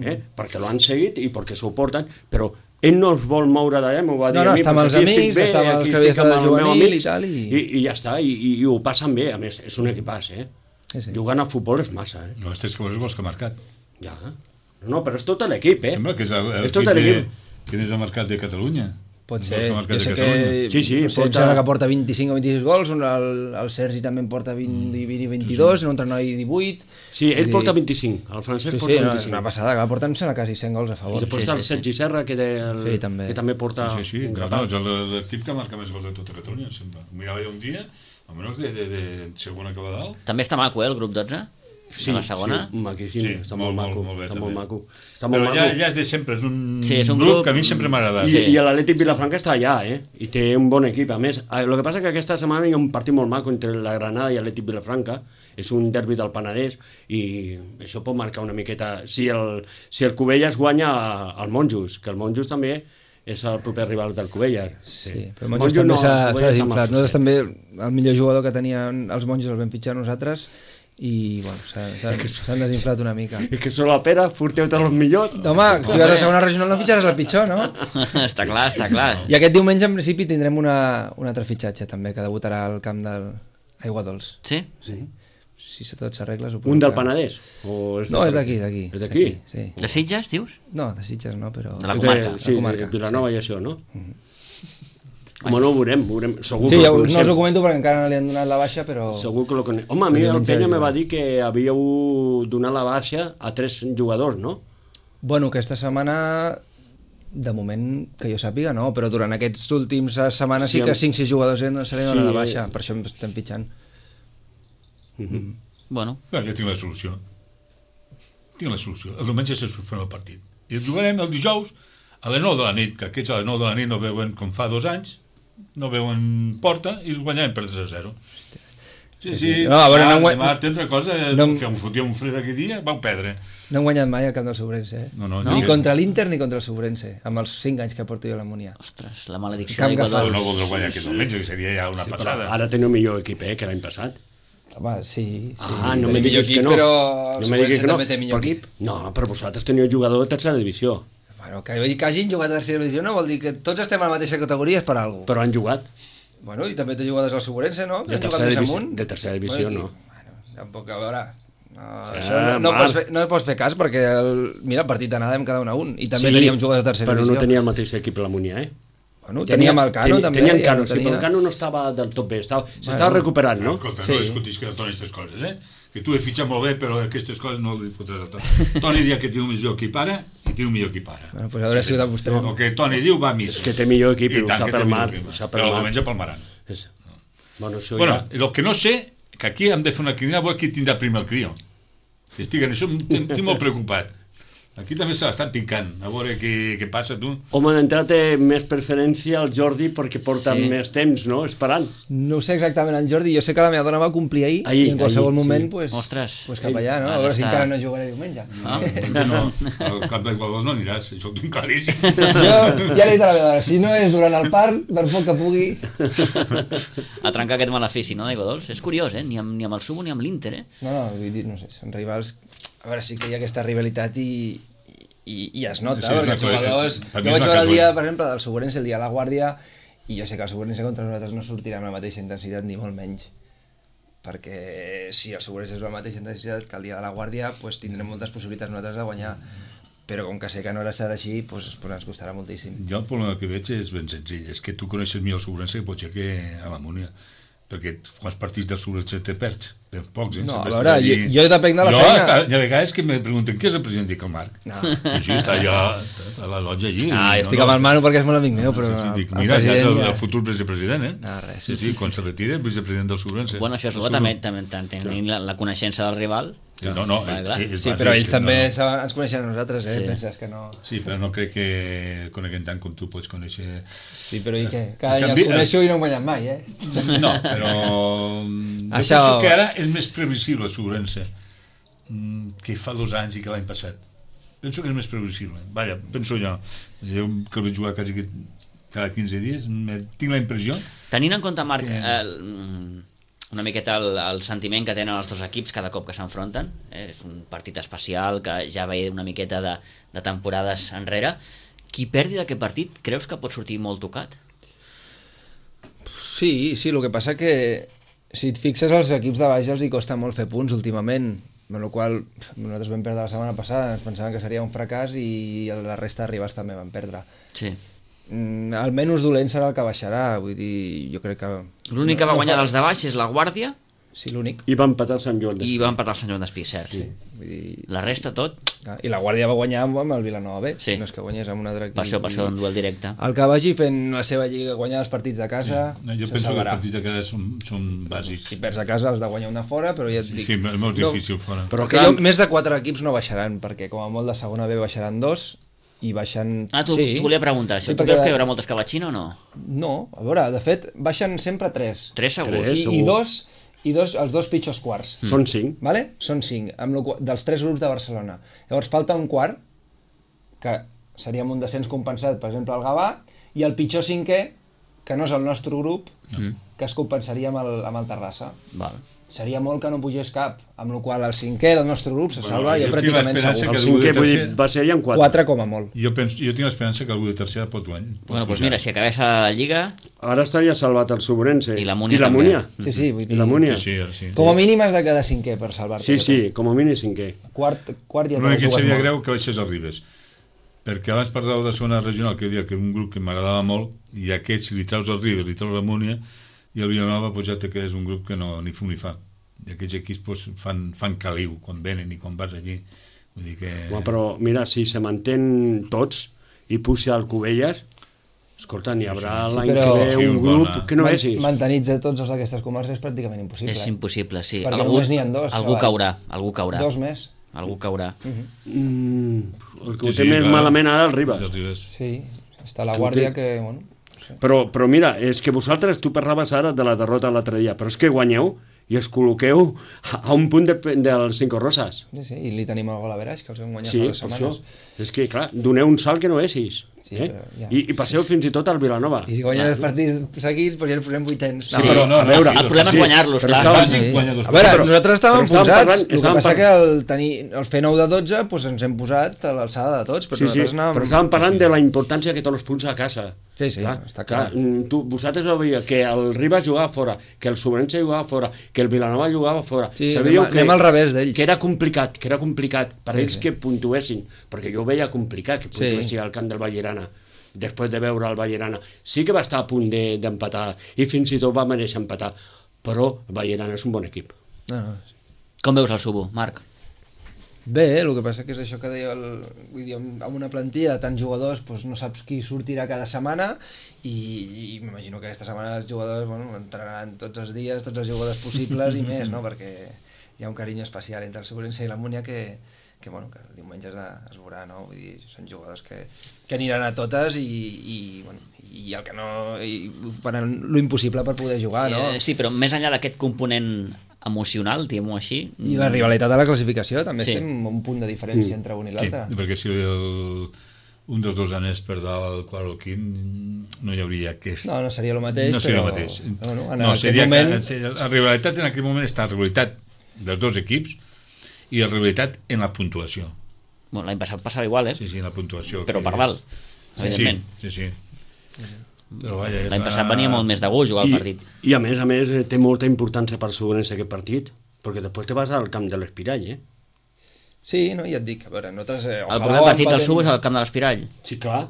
eh? Mm. perquè l'han seguit i perquè s'ho porten, però ell no es vol moure d'allà, m'ho va dir No, no, a mi, està amb perquè els aquí estic amics, bé, està amb els aquí que havia estic amb estat de el meu juvenil amic, i tal, i- i, i ja està, i, i, i ho passen bé, a més, és un equipàs, eh? Sí, sí. Jugant a futbol és massa, eh? No, estes que veus gols que ha marcat. Ja. No, però és tot l'equip, eh? Sembla que és el- És tot l'equip de... l'equip. Quin és el mercat de Catalunya? Pot Els ser, gols que ha marcat jo de sé Catalunya. que Sí, sí, no sé, porta- em sembla que porta vint-i-cinc o vint-i-sis gols, un, el, el Sergi també en porta vint, vint i vint-i-dos, un altre noi divuit. Sí, ell Vull porta dir- vint-i-cinc, el francès Sí, porta sí, no, és vint-i-cinc. una passada, que porten sembla quasi cent gols a I favor. després Sí, està el sí, sí. Sergi Serra, que, té el, Sí, també. que també porta Sí, sí, un no, grapat. no, és el- l'equip que marca més gols de tota Catalunya, em sembla. Ho mirava jo un dia, almenys de, de, de segona que va dalt. També està maco, eh, el grup dotze? Sí, a la segona? sí, maquíssim, Sí, està molt, molt, maco, molt, molt bé, està també. molt maco. Està molt Però ja, maco. ja és de sempre, és un, Sí, és un grup, grup- que a mi sempre m'ha agradat. I, Sí. I l'Atlètic Vilafranca està allà, eh? I té un bon equip. A més, el que passa que aquesta setmana hi ha un partit molt maco entre la Granada i l'Atlètic Vilafranca. És un derbi del Penedès i això pot marcar una miqueta... Si el, si el Cubelles guanya al Monjos, que el Monjos també és el proper rival del Cubelles. Sí, però el Monjos també no, s'ha el s'ha Cubelles està desinflat. mal Nosaltres forçat. també, el millor jugador que tenien els Monjos el vam fitxar nosaltres i bueno, s'ha- s'han s'han desinflat una mica. És que sóc la pera, porteu tots els millors. Home, si vas a segona regional no fitxaràs el pitjor, no? està clar, està clar. I aquest diumenge en principi tindrem una, un altre fitxatge també, que debutarà al camp del Aigua Dols. Sí? Sí. Si tot s'arregla... suposo Un del que- Penedès? O és No, de- és d'aquí, d'aquí. És d'aquí? Sí. De Sitges, dius? No, de Sitges no, però... De la De- comarca. Sí, la comarca, de Vilanova i això, no? Home, no ho veurem, ho veurem. Segur Sí, que ja, ho us- no coneixem. us ho comento perquè encara no li han donat la baixa, però... Segur que lo conec. Home, a mi Però el diumenge Penya me jugarà. va dir que havíeu donat la baixa a tres jugadors, no? Bueno, aquesta setmana, de moment, que jo sàpiga, no, però durant aquests últims setmanes sí, Sí, que amb- cinc sis jugadors no se li Sí, dona de eh. baixa, per això em estem fitxant. Bueno, Clar, jo tinc la solució. Tinc la solució. El diumenge se suspèn el partit. I el jugarem el dijous a les nou de la nit, que aquests a les nou de la nit no veuen com fa dos anys, no veuen porta i els guanyarem per tres a zero. Sí, sí, No, a veure, no ah, hem guany- demà té altra cosa, no hem- que em fotia un fred aquell dia, vau perdre. No hem guanyat mai al camp del Sobrense, eh? No, no, Ni jo- contra l'Inter ni contra el Sobrense, amb els cinc anys que porto jo a la Múnia. ostres, la maledicció Camp d'Aigua Però agafat. Dols. no voldrà guanyar aquest diumenge, que seria ja una Però passada. ara teniu millor equip, eh, que l'any passat. Home, sí, sí. Ah, no tenim me millor diguis que no. Però el no me diguis Sobrense que no. també té millor perquè- equip. No, però vosaltres teniu jugador de tercera divisió, Bueno, que, que hagin jugat a tercera divisió no vol dir que tots estem a la mateixa categoria, és per alguna cosa. però han jugat. Bueno, i també té jugadors al Sobrense, no? Que De han jugat tercera més divisió- amunt. de tercera divisió, bueno, no. Bueno, tampoc, a veure... No, Ah, això no, no, Marc. pots fer, no pots fer cas perquè el, mira, el partit d'anada hem quedat un a un i també Sí, teníem jugadors de tercera però divisió. no tenia el mateix equip a la Múnia, eh? Bueno, teníem el Cano tenia, també. Tenien ja Cano, no sí, però el Cano no estava del tot bé, estava, s'estava recuperant, no? Escolta, Sí. no discutis que el Toni aquestes coses, eh? Que tu he fitxat molt bé, però aquestes coses no les fotràs a Toni. Toni dia que té un millor equip ara i té un millor equip ara. Bueno, pues a veure si ho demostrem. El que Toni diu va a missa. És que té millor equip i ho tant sap que té el millor Marc, equip. ho sap el Però el Marc. diumenge palmaran. És... Bueno, això Bueno, ja... el que no sé, que aquí hem de fer una cridada a veure qui tindrà primer el crió. Estic en això, estic molt preocupat. Aquí també se l'estan picant, a veure què, què passa, tu. Home, d'entrada té més preferència al Jordi perquè porta Sí. més temps, no?, esperant. No ho sé exactament el Jordi, jo sé que la meva dona va complir ahir, Ahir, i en qualsevol ahir, moment sí. pues, Ostres. pues cap allà, no? Has A veure si d'estar- encara no jugaré diumenge. Ah. No, al cap d'Equador no aniràs, això ho tinc claríssim. Jo ja li he dit a la meva dona, si no és durant el parc, per poc que pugui... A trencar aquest malefici, no, d'Aigua Dols? És curiós, eh? Ni amb, ni amb el Subo ni amb l'Inter, eh? No, no, vull dir, no sé, són rivals... A veure, sí que hi ha aquesta rivalitat i, i, i es nota, Sí, és perquè una els cosa- jugadors... per mi Jo és vaig una veure el cosa- dia, per exemple, del Soborense, el dia de la Guàrdia, i jo sé que el Soborense contra nosaltres no sortirà amb la mateixa intensitat, ni molt menys. Perquè si el Soborense és la mateixa intensitat que el dia de la Guàrdia, pues, tindrem moltes possibilitats nosaltres de guanyar. Però com que sé que no serà així, pues, pues ens costarà moltíssim. Jo el problema que veig és ben senzill, és que tu coneixes millor el Sobrense que pot ser que a la Múnia, perquè quants partits del Sobrense te perds? Ben pocs, eh? No, Sempre a veure, estàs allí. jo- jo depenc de la jo, feina. Està, hi ha vegades que me pregunten què és el president, dic el Marc. No. I sí, està allà a la lotja allí. Ah, jo estic amb el Manu perquè és molt amic meu, però Sí, sí, dic, el mira, ja és el, president el futur vicepresident, eh? No, res. Sí, sí, quan se retira, el vicepresident del Sobrense. Bueno, això és bo, també, també tenir la, la coneixença del rival. No, no, Clar, clar. és Sí, bàsic, però ells no, també no. saben, ens coneixen a nosaltres, eh? Sí. Penses que no... Sí, però no crec que coneguem tant com tu pots conèixer... Sí, però i què? Cada any canvi- els coneixo i no em guanyen mai, eh? No, però... Jo Això- penso que ara és més previsible el Sobrense que fa dos anys i que l'any passat. Penso que és més previsible. Vaja, penso jo. Jo que el vaig jugar quasi que cada quinze dies, me- tinc la impressió... Tenint en compte, Marc, Que- el, una miqueta el, el sentiment que tenen els dos equips cada cop que s'enfronten, eh? És un partit especial que ja veia una miqueta de, de temporades enrere. Qui perdi d'aquest partit creus que pot sortir molt tocat? Sí, sí, el que passa que si et fixes als equips de baix els hi costa molt fer punts últimament, amb la qual nosaltres vam perdre la setmana passada, ens pensàvem que seria un fracàs i la resta de rivals també van perdre. Sí. Mm, el menys dolent serà el que baixarà, vull dir, jo crec que... L'únic que va no guanyar fa- dels de baix és la Guàrdia Sí, l'únic. I va empatar el Sant Joan i d'Espí. va empatar el Sant Joan d'Espí, cert. Sí. Vull dir... La resta, tot, Ah, I la Guàrdia va guanyar amb amb el Vilanova B, Sí. no és que guanyés amb un altre equip. per això, per això, un duel directe. El que vagi fent la seva lliga, guanyar els partits de casa, No, jo se penso que els salvarà. partits de casa són, són bàsics. Si perds a casa has de guanyar una fora, però ja et Sí, dic... sí, és molt no- difícil fora. Però que jo, més de quatre equips no baixaran, perquè com a molt de segona B baixaran dos i baixen... Ah, tu, sí. tu volia preguntar això. Sí, Tu perquè- creus que hi haurà moltes que batxin o no? No, a veure, de fet, baixen sempre tres. Tres segurs. Tres. I, segur. i dos, i dos, els dos pitjors quarts. Són cinc. Vale? Són cinc, amb lo, qual- dels tres grups de Barcelona. Llavors falta un quart, que seria amb un descens compensat, per exemple, el Gavà, i el pitjor cinquè, que no és el nostre grup, Mm. que es compensaria amb el, amb el Terrassa. Val. Seria molt que no pugés cap, amb la qual el cinquè del nostre grup se Bueno, salva jo ja tinc pràcticament l'esperança segur. que El algú de cinquè, vull dir, tercer- va ser en quatre. Quatre com a molt. Jo, penso, jo tinc l'esperança que algú de tercera pot guanyar. pot Bueno, doncs pujar. mira, si acabés a la Lliga, Ara estaria salvat el Sobrense. I la Múnia I la també. Múnia. Sí, sí, vull I dir... la Múnia. Sí, sí, ara sí. Com a mínim has de quedar cinquè per salvar-te. Sí, sí, com a mínim cinquè. Quart, quart ja te L'únic la que em jugues seria molt. greu que baixés el Ribes, perquè abans parlàveu de segona regional, que deia que era un grup que m'agradava molt, i aquest, si li traus el Ribes, li traus la Múnia, i el Vilanova, doncs ja te quedes un grup que no ni fu ni fa. I aquests equips doncs, fan, fan caliu quan venen i quan vas allí. Vull dir que... Home, però mira, si se mantén tots i puja al Cubelles, escolta, n'hi haurà sí, l'any però- que ve Sí, un un grup bona- que no Man- vegis. Mantenir-se tots els d'aquestes comarques és pràcticament impossible. és eh? impossible, sí. Perquè només n'hi ha dos, Algú clar. caurà, algú caurà. Dos més. Algú caurà. Mm, el que Sí, ho té sí, més clar. malament ara el Ribas. El Ribes. Sí, està la Que ho Guàrdia té- que, bueno... no sé. Però, però mira, és que vosaltres, tu parlaves ara de la derrota l'altre dia, però és que guanyeu i es col·loqueu a, a un punt de, dels Cinco Roses. Sí, sí, i li tenim el gol a Veraix, que els vam guanyar Sí, fa dues per setmanes. això. És que, clar, doneu un salt que no veisis. Sí, eh? però ja. I, I passeu fins i tot al Vilanova. I guanya dos partits seguits, però ja el posem vuitens. No, Sí, però, no, a no, veure... sí, El problema és sí, guanyar-los, però clar. estava- Bàsic, Sí. guanya dos A veure, Però- nosaltres estàvem però estàvem posats, parlant- el que estàvem passa que parlant- el, tenir, el fer nou de dotze doncs ens hem posat a l'alçada de tots, però Sí, sí, nosaltres anàvem... però estàvem parlant de la importància que té els punts a casa. Sí, sí, està clar. mm, Tu, vosaltres ho veieu, que el Ribas jugava fora, que el Sobrense jugava fora, que el Vilanova jugava fora. Sí, Sabíeu anem a- anem al revés d'ells. Que era complicat, que era complicat per Sí, ells sí. que puntuessin, perquè jo ho veia complicat que puntuessin Sí. al camp del Vallerana, després de veure el Vallerana. Sí que va estar a punt de- d'empatar, de, i fins i tot va mereixer empatar, però el Vallerana és un bon equip. No, no. Com veus el Subo, Marc? Bé, el que passa que és això que deia el, vull dir, amb amb una plantilla de tants jugadors doncs no saps qui sortirà cada setmana i, i m'imagino que aquesta setmana els jugadors bueno, entrenaran tots els dies, tots els jugadors possibles i més, no? Perquè hi ha un carinyo especial entre el Segurense i la Múnia que, que, bueno, que diumenge es, de, es veurà, no? Vull dir, són jugadors que, que aniran a totes i, i, bueno, i el que no... I faran lo impossible per poder jugar, no? Eh, sí, però més enllà d'aquest component emocional, diguem-ho així... I la rivalitat a la classificació, també Sí. estem un punt de diferència mm. entre un i l'altre. Sí, perquè si el, un dels dos anés per dalt al quart o al quint, no hi hauria aquest... No, no seria el mateix, no seria però... el mateix. No, no, en no, aquest seria moment... que, la rivalitat en aquell moment està la rivalitat dels dos equips i la rivalitat en la puntuació. Bueno, l'any passat passava igual, eh? Sí, sí, en la puntuació. Però que per és- dalt, evidentment. Sí, sí, sí. Però vaja, L'any passat venia molt més de gust jugar I, el partit. I a més a més eh, té molta importància per Segurença aquest partit, perquè després te vas al camp de l'Espirall, eh? Sí, no, ja et dic, a veure, nosaltres... Eh, El primer partit del Sub és al camp de l'Espirall. Sí, clar.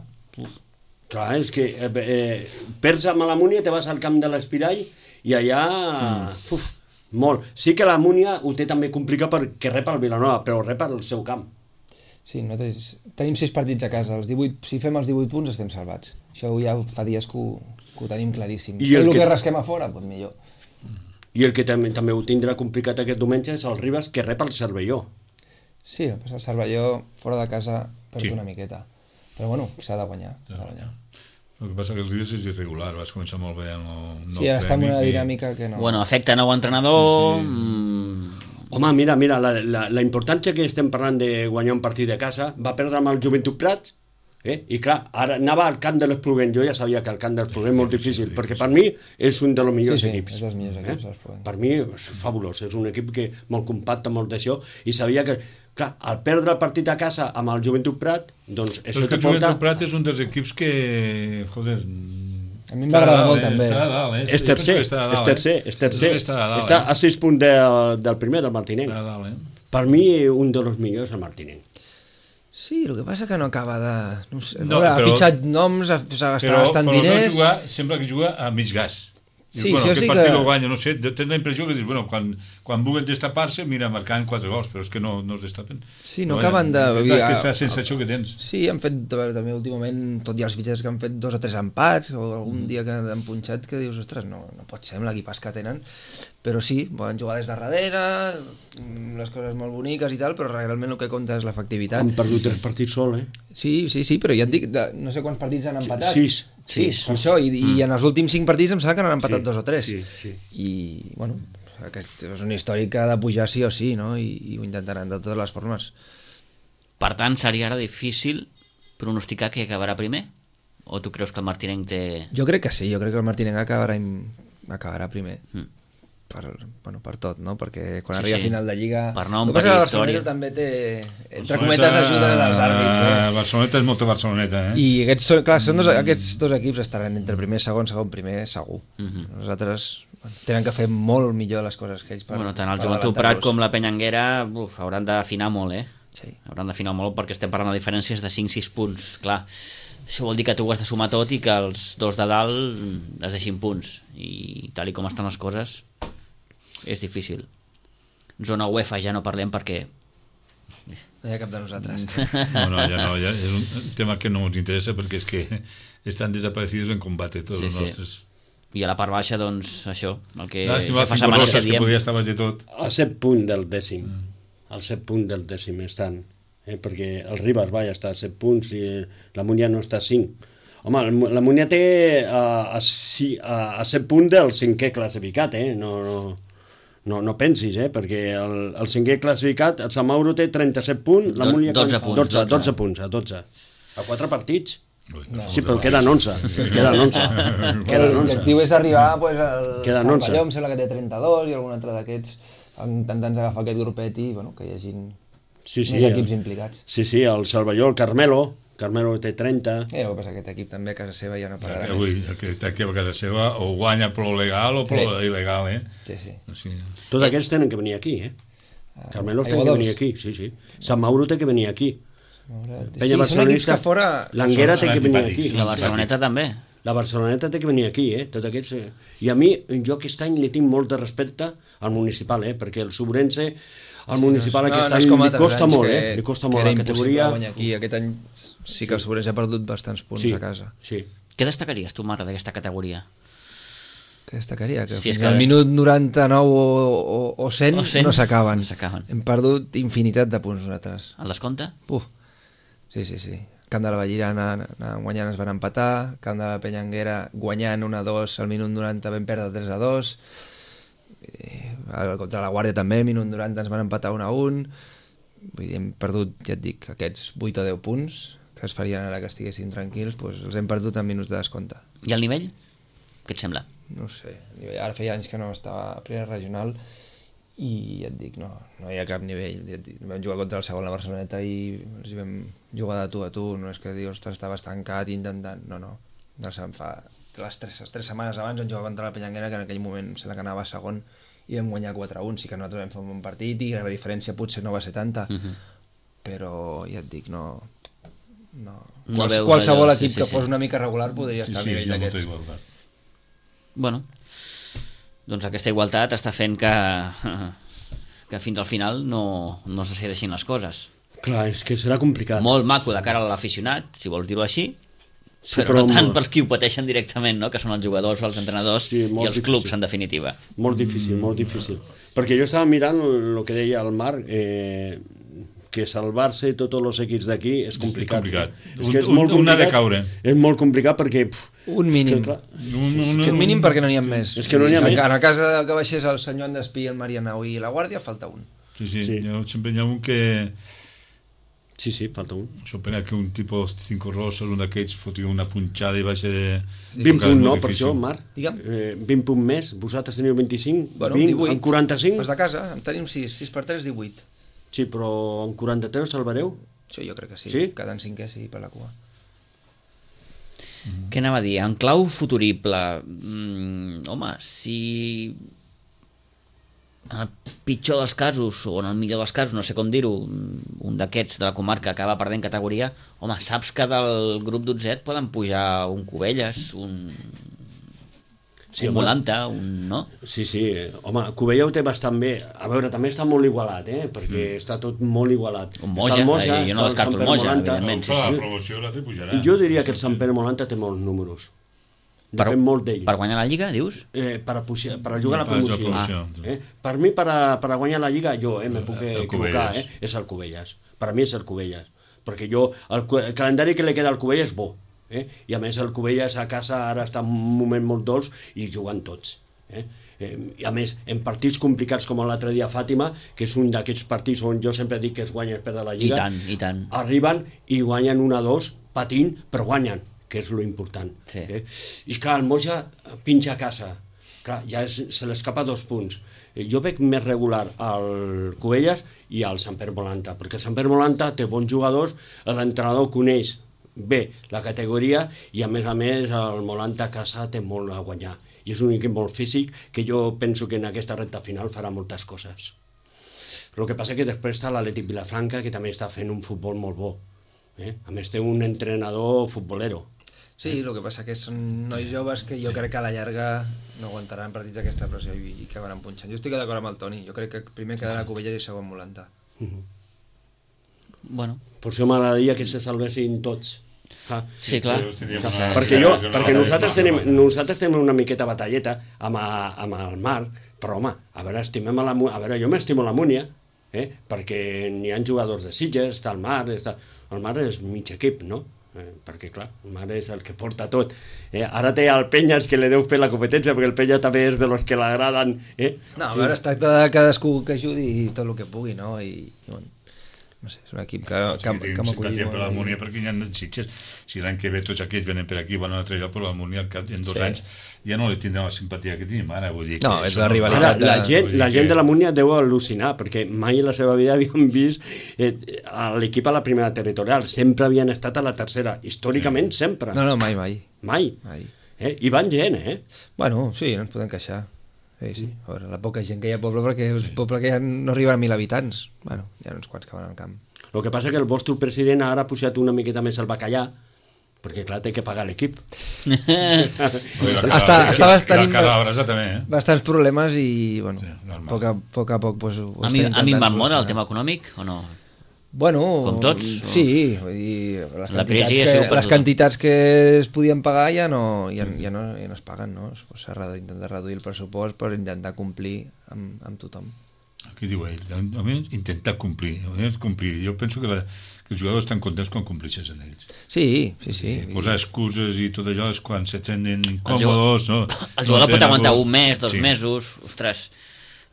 Clar, és que eh, eh, perds amb la Múnia, te vas al camp de l'Espirall i allà... Mm. Uf, molt. Sí que la Múnia ho té també complicat perquè rep el Vilanova, però rep el seu camp. Sí, nosaltres tenim sis partits a casa, els divuit, si fem els divuit punts estem salvats. Això ja fa dies que ho, que ho tenim claríssim. I I el el que, que- que rasquem a fora, doncs millor. I el que també, també ho tindrà complicat aquest diumenge és el Ribas, que rep el Cervelló. Sí, el el Cervelló fora de casa perd Sí. una miqueta. Però bueno, s'ha de guanyar. S'ha de guanyar. El que passa que els Ribes és irregular, vas començar molt bé en el nou Sí, ara està en una premi i- dinàmica que no... Bueno, afecta nou entrenador... Sí, sí. mm, Home, mira, mira, la, la, la importància que estem parlant de guanyar un partit de casa, va perdre amb el Joventut Prats, eh? I clar, ara anava al camp de l'Espluguent, jo ja sabia que el camp de l'Espluguent és molt difícil, perquè per mi és un dels millors Sí, sí, equips. és dels millors equips, l'Espluguent. Per mi és fabulós, és un equip que molt compacte, molt d'això, i sabia que, clar, al perdre el partit a casa amb el Joventut Prat, doncs Però això és que te el Joventut porta... Prat és un dels equips que, joder... A mi em va agradar molt, també. Està a dalt, eh? És Jo penso tercer, que està a és dalt, tercer, eh? és tercer. Està a dalt, Està eh? a sis punts del, del primer, del Martinenc. Està a dalt, eh? Per mi, un dels millors, el Martinenc. Sí, el que passa que no acaba de... No sé, No, no, ha però- fitxat noms, ha- s'ha gastat Però, bastant però diners... no jugar, sembla que juga a mig gas. Dius, Sí, bueno, això aquest sí partit que- lo guanya, no sé, tens la impressió que dius, bueno, quan, quan vulguin destapar-se, mira, marcant quatre gols, però és que no, no es destapen. Sí, no Però, acaben de- És la- aquesta sensació que tens. Sí, han fet a veure, també últimament, tot i els fitxers que han fet dos o tres empats, o algun dia que han punxat, que dius, ostres, no, no pot ser amb l'equipàs que tenen, però sí, poden jugar des de darrere, mm, les coses molt boniques i tal, però realment el que compta és l'efectivitat. Han perdut tres partits sol, eh? Sí, sí, sí, però ja et dic, de, no sé quants partits han empatat. Sis. Sis, per això, i, i en els últims cinc partits em sembla que n'han empatat Sí, dos o tres. sí, sí. I, bueno, aquest és un històric que ha de pujar sí o sí, no? I, i ho intentaran de totes les formes. Per tant, seria ara difícil pronosticar qui acabarà primer? O tu creus que el Martinenc té... Jo crec que sí, jo crec que el Martinenc acabarà, im- acabarà primer. Mm. Per, bueno, per tot, no? Perquè quan Sí, arriba sí. a final de Lliga... Per nom, El que per passa és que la història. Barceloneta també té, entre cometes, ajuda dels àrbits. Eh? Barceloneta és molta Barceloneta, eh? I aquests, són, clar, són dos, aquests dos equips estaran entre primer, segon, segon, primer, segur. Mhm. Nosaltres bueno, tenen que fer molt millor les coses que ells per, Bueno, tant el per Joventut Prat adelantar-los. com la Penyanguera uf, hauran d'afinar molt, eh? Sí. Hauran d'afinar molt perquè estem parlant de diferències de cinc sis punts. Clar, això vol dir que tu ho has de sumar tot i que els dos de dalt es deixin punts. I tal i com estan les coses, és difícil. Zona UEFA ja no parlem perquè... No hi ha cap de nosaltres. No, no, ja no, ja és un tema que no ens interessa perquè és que estan desaparecidos en combate tots Sí, els sí. nostres. I a la part baixa, doncs, això, el que Lástima, ja fa cinco setmanes que rosas, que diem. podia estar baix de tot. A set punts del dècim. Al set punts del dècim estan. Eh? Perquè el Ribas, vaja, està a set punts i la Múnia no està a cinc. Home, el- la Múnia té a, a, si- a, a set punts del cinquè classificat, eh? No, no, no, no pensis, eh? Perquè el, el cinquè classificat, el Sant Mauro té trenta-set punts, la Do- Múnia... dotze punts, dotze, dotze. dotze punts, a dotze. A quatre partits. Ui, no Sí, som però de queden onze. Queden onze. Queden onze. L'objectiu és arribar pues, al Queden onze. Cervelló, em sembla que té trenta-dos, i algun altre d'aquests, intentant agafar aquest grupet i bueno, que hi hagin Sí, sí, més el- equips implicats. Sí, sí, el Cervelló, el Carmelo, Carmelo té trenta. I el que passa que aquest equip també a casa seva ja no El pararà que, més. ui, el que està aquí a casa seva o guanya pro legal o pro Sí. il·legal, eh? Sí, sí. O sigui, Tots aquests tenen que venir aquí, eh? Carmelo té que Aiguadols. venir aquí, sí, sí. Sant Mauro té que venir aquí. Sí, Penya són equips barcelonista, que fora... l'Anguera Són té que venir antipàtics. aquí. I la Barceloneta també. La Barceloneta té que venir aquí, eh? Tots aquests... eh. I a mi, jo aquest any li tinc molt de respecte al municipal, eh? Perquè el Sobrense, al municipal no, aquest no és any com li altres costa anys molt, que- eh? Li costa que molt era la impossible categoria. guanyar aquí. Aquest any sí que el Sobrense ha perdut bastants punts Sí, a casa. sí. Què destacaries tu, Marta, d'aquesta categoria? que destacaria, que Sí, és fins que- al minut noranta-nou o, o, o cent, O cent, no s'acaben. no s'acaben. Hem perdut infinitat de punts nosaltres. El descompte? Uf. Sí, sí, sí. Camp de la Vallirana anàvem guanyant, es van empatar. Camp de la Penyanguera guanyant un a dos al minut noranta, vam perdre tres a dos. Eh, contra la Guàrdia també, al minut noranta ens van empatar un a un. Vull dir, hem perdut, ja et dic, aquests vuit o deu punts que es farien ara que estiguéssim tranquils, doncs els hem perdut en minuts de descompte. I el nivell? Què et sembla? No ho sé, ara feia anys que no estava a primera regional i ja et dic, no, no hi ha cap nivell. Ja et dic, vam jugar contra el segon la Barceloneta i els hi vam jugar de tu a tu, no és que dius, ostres, estava estancat intentant, no, no, no se'n fa les tres, les tres setmanes abans vam jugar contra la Penyanguera, que en aquell moment se la que anava segon i vam guanyar quatre a un, sí que nosaltres vam fer un bon partit i la diferència potser no va ser tanta, Uh -huh. però ja et dic, no, no. No Quals, veus qualsevol allò, equip sí, sí, que sí. fos una mica regular podria Sí, estar sí, al nivell hi ha molta d'aquests. igualtat. Bueno, doncs aquesta igualtat està fent que, que fins al final no, no se decideixin les coses. Clar, és que serà complicat. Molt maco de cara a l'aficionat, si vols dir-ho així, Sí, però, no però tant molt- pels qui ho pateixen directament, no? Que són els jugadors, els entrenadors Sí, i molt els difícil. clubs, en definitiva. Molt difícil, molt difícil. Perquè jo estava mirant el que deia el Marc, eh, que salvar-se tots els equips d'aquí és complicat. complicat. És Un- que és un- molt un ha de complicat. caure. És molt complicat perquè... Pff, Un mínim. És que, clar, Un, un, Que un mínim perquè no n'hi ha més. És que no n'hi ha més. En el cas de que baixés el senyor Andespí, el Marianao i la Guàrdia, falta un. sí, sí, Sí. sí. Jo, sempre hi ha un que... sí, sí, falta un. Sopena que un tipus cinco rossos, un d'aquests fotia una punxada i va ser... vint punts, no, molt per difícil. això, Marc? Digue'm. Eh, vint punts més, vosaltres teniu vint-i-cinc, Bueno, vint, divuit. en quaranta-cinc? Pues de casa, en tenim sis, sis per tres, divuit. Sí, però en quaranta-tres salvareu? Això jo crec que sí. Sí? Quedant cinquè, sí, per la cua. Què anava a dir? En clau futurible, mm, home, si en el pitjor dels casos, o en el millor dels casos, no sé com dir-ho, un d'aquests de la comarca acaba perdent categoria, home, saps que del grup dotzet poden pujar un Cubelles, un, Sí, un home. Volanta, un... no? Sí, sí, eh, home, Cubella ho té bastant bé. A veure, també està molt igualat, eh? Perquè mm. està tot molt igualat. Un Moja, Està el Moja, eh, jo no està descarto Sant el Moja, Pere Molanta. evidentment. sí, Però sí. la promoció l'altre pujarà. Jo diria que el Sant Pere Molanta té molts números. Per, Depèn molt d'ell. per guanyar la Lliga, dius? Eh, per, a, pujar- per a jugar a la Per a jugar a promoció. promoció, Ah, sí. eh? Per mi, per a, per a guanyar la Lliga, jo eh, me puc El equivocar, eh? Cubelles. És el Cubelles. Per a mi és el Cubelles. Perquè jo, el, cu- el calendari que li queda al Cubelles és bo. Eh? I a més el Cubelles a casa ara està en un moment molt dolç i jugant tots. Eh? Eh, I a més, en partits complicats com l'altre dia a Fàtima, que és un d'aquests partits on jo sempre dic que es guanya per de la I Lliga, tant, i tant. arriben i guanyen un a dos patint, però guanyen, que és lo important. Sí. Eh? I clar, el Moja pinxa a casa. Clar, ja és, se l'escapa dos punts. Eh, Jo veig més regular al Cubelles i al Sant Pere Molanta, perquè el Sant Pere Molanta té bons jugadors, l'entrenador coneix bé la categoria i a més a més el Molanta a casa té molt a guanyar. I és un equip molt físic que jo penso que en aquesta recta final farà moltes coses. El que passa que després està l'Atlètic Vilafranca, que també està fent un futbol molt bo. Eh? A més té un entrenador futbolero. Sí, el que passa que són nois joves que jo crec que a la llarga no aguantaran partits d'aquesta pressió i, i acabaran punxant. Jo estic d'acord amb el Toni, jo crec que primer quedarà Cubelles i segon Molanta. Bueno, Per això m'agradaria que se salvessin tots. Ah. sí, clar. Però tindríem Que una- se- Perquè, jo, sí, perquè no, nosaltres, no, tenim, no, no. nosaltres tenim una miqueta batalleta amb, a, amb el Marc, però home, a veure, estimem a la, Mu- a veure, jo m'estimo la Múnia, eh? perquè n'hi ha jugadors de Sitges, està el Marc, està... el Marc és mig equip, no? Eh, perquè clar, el Marc és el que porta tot. Eh? Ara té el Penyas que li deu fer la competència, perquè el Penyas també és de los que l'agraden. Eh? No, a veure, es tracta de cadascú que ajudi tot el que pugui, no? I, i bueno, no sé, és un equip que, que, que, que, que m'ha simpatia acollit per la molt. Múnia perquè hi ha Sitges. Si l'any que ve tots aquells venen per aquí van a un altre lloc, però la Múnia al cap en dos Sí. anys ja no li tindrà la simpatia que tenim ara. Vull dir No, que és això la no- rivalitat Ara, la de- gent, vull dir la gent que- de la Múnia deu al·lucinar, perquè mai a la seva vida havien vist eh, a l'equip a la primera territorial. Sempre havien estat a la tercera. Històricament, sempre. No, no, mai, mai. Mai. mai. Eh? I van gent, eh? Bueno, sí, no ens podem queixar. Sí, sí. A veure, la poca gent que hi ha al poble, perquè és un poble que ja no arriba a mil habitants. Bueno, hi ha uns quants que van al camp. El que passa que el vostre president ara ha pujat una miqueta més el bacallà, perquè clar, té que pagar l'equip. Ui, la Està- cara- estava i tenint- el cara de la brasa també, eh? Bastants problemes i, bueno, Sí, sí, normal. a poc a poc, a poc pues, ho Ha, està mi- ha intentant minvat molt el solucionar. tema econòmic o no? Bueno, com tots? Sí, vull dir, les la quantitats, crisi que, per les quantitats que es podien pagar ja no, ja, ja no, ja no es paguen, no? S'ha d'intentar reduir el pressupost per intentar complir amb, amb tothom. Què diu ell? Almenys intentar complir, almenys complir. Jo penso que, la, que els jugadors estan contents quan compleixes en ells. Sí, sí, sí. I posar excuses i tot allò és quan se tenen incòmodes, no? El jugador no pot aguantar un mes, dos sí. mesos, ostres...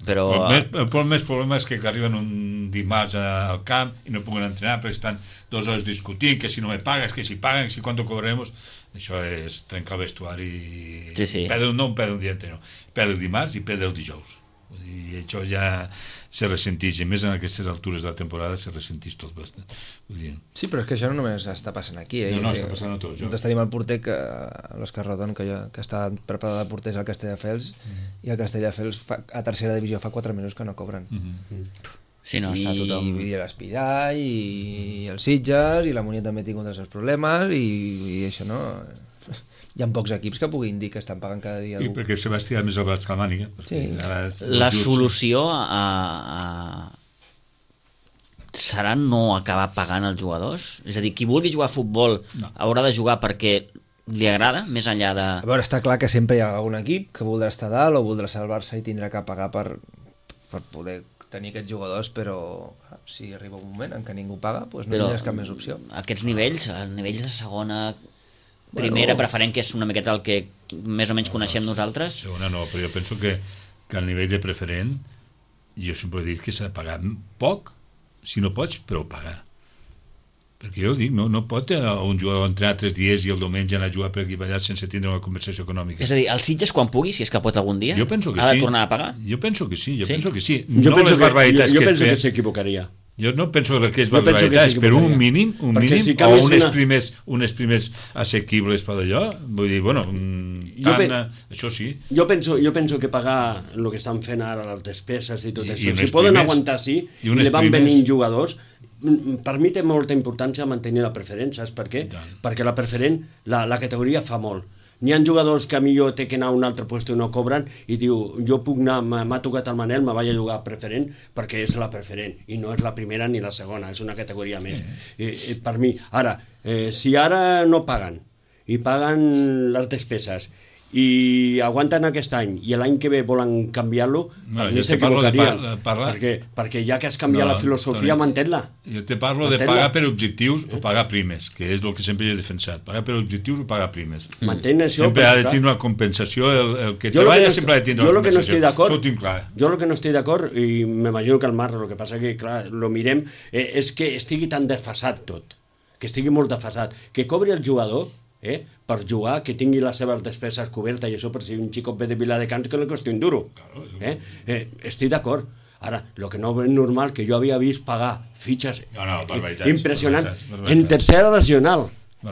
Però... El, més, el més problema és que arriben un dimarts al camp i no puguen entrenar perquè estan dues hores discutint que si no me pagues, que si paguen, que si quanto cobraremos. Això és trencar el vestuari i sí, sí. Perdre, no un perdre un dia no. Perdre el dimarts i perdre el dijous. I això ja se ressentix, i més en aquestes altures de la temporada se ressentix tot bastant. Vull dir... Sí, però és que això no només està passant aquí, eh? No, no, està passant a tots. Nosaltres tenim el porter, que, l'Òscar Rodon, que, jo, que està preparat de porters al Castelldefels, mm-hmm. i el Castelldefels fa, a tercera divisió fa quatre mesos que no cobren. Mm-hmm. Sí, no, està tothom... I, i l'Espiral, i el Sitges, i la Munió també ha tingut els seus problemes, i, i això no... Hi ha pocs equips que puguin dir que estan pagant cada dia. I perquè se va estirar més el braç que la màniga. Sí. La solució a, a... serà no acabar pagant els jugadors? És a dir, qui vulgui jugar a futbol no. haurà de jugar perquè li agrada, més enllà de... A veure, està clar que sempre hi ha algun equip que voldrà estar dalt o voldrà salvar-se i tindrà que pagar per, per poder tenir aquests jugadors, però si arriba un moment en què ningú paga, doncs no tindràs cap més opció. Aquests nivells, els nivells de segona... Primera, bueno, preferent, que és una miqueta el que més o menys no, coneixem nosaltres. Segona no, però jo penso que, que al nivell de preferent jo sempre he dit que s'ha de pagar poc, si no pots, però pagar. Perquè jo dic, no, no pot un jugador entrenar tres dies i el diumenge anar a jugar per aquí allà sense tindre una conversació econòmica. És a dir, el Sitges quan pugui, si és que pot algun dia, jo penso que ha de sí. tornar a pagar? Jo penso que sí, jo sí? penso que sí. Jo no penso les barbaritats que, jo, jo que penso es que s'equivocaria. Jo no penso que és barbaritats, però un mínim, un mínim si o unes, una... primers, unes primers assequibles per allò, vull dir, bueno, tant, pen... això sí. Jo penso, jo penso que pagar el que estan fent ara, les despeses i tot I, això, i si poden primers, aguantar sí, i, i li van primers... venint jugadors, per mi té molta importància mantenir la preferent, saps per què? Perquè la preferent, la, la categoria fa molt. N'hi ha jugadors que a millor té que anar a un altre lloc i no cobren i diu, jo puc anar, m'ha tocat el Manel, me vaig a jugar preferent perquè és la preferent i no és la primera ni la segona, és una categoria més. I, i per mi, ara, eh, si ara no paguen i paguen les despeses i aguanten aquest any i l'any que ve volen canviar-lo, no, per mi s'equivocarien, perquè, perquè ja que has canviat no, la filosofia, mantén-la. Jo te parlo de pagar per objectius o pagar primes, que és el que sempre he defensat, pagar per objectius o pagar primes. Mantén això. Sempre ha de tenir una compensació, el, el que treballa no, sempre ha de tenir una compensació. Això ho tinc clar. Jo el que no estic d'acord, i m'imagino que el Marc, el que passa que, clar, lo mirem, eh, és que estigui tan desfasat tot, que estigui molt desfasat, que cobri el jugador, Eh, per jugar, que tingui les seves despeses cobertes i això per si un xicot ve de Viladecans que no costi un duro. Eh? Eh, estic d'acord. Ara, el que no és normal que jo havia vist pagar fitxes no, no, impressionants en tercera regional.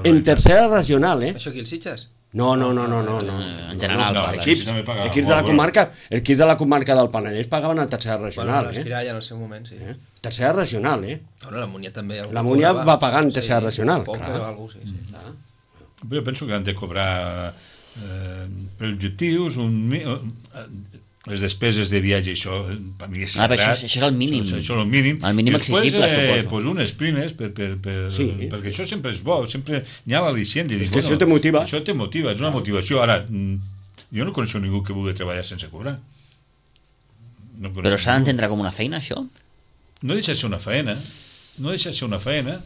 En tercera regional, eh? Això aquí, el Sitges? No, no, no, no, no, no. En general, no, no, equips, equips de la comarca, equips de la comarca del Penedès pagaven a tercera regional, bueno, l'Espiral ja en el seu moment, sí. Eh? Tercera regional, eh? Bueno, la Munià també. La Munià va pagar en tercera regional. Poc, però algú, sí, sí. Però jo penso que han de cobrar eh, per objectius un, eh, les despeses de viatge, això per mi és sagrat. Ah, això, això és el mínim. Això, això és el mínim. El mínim després, exigible, eh, suposo. Pues unes primes, per, per, per, sí. perquè això sempre és bo, sempre hi ha l'al·licient. És que bueno, això te motiva. Això te motiva, és una motivació. Ara, jo no coneixo ningú que vulgui treballar sense cobrar. No però s'ha d'entendre com una feina, això? No deixa de ser una feina, no deixa de ser una feina.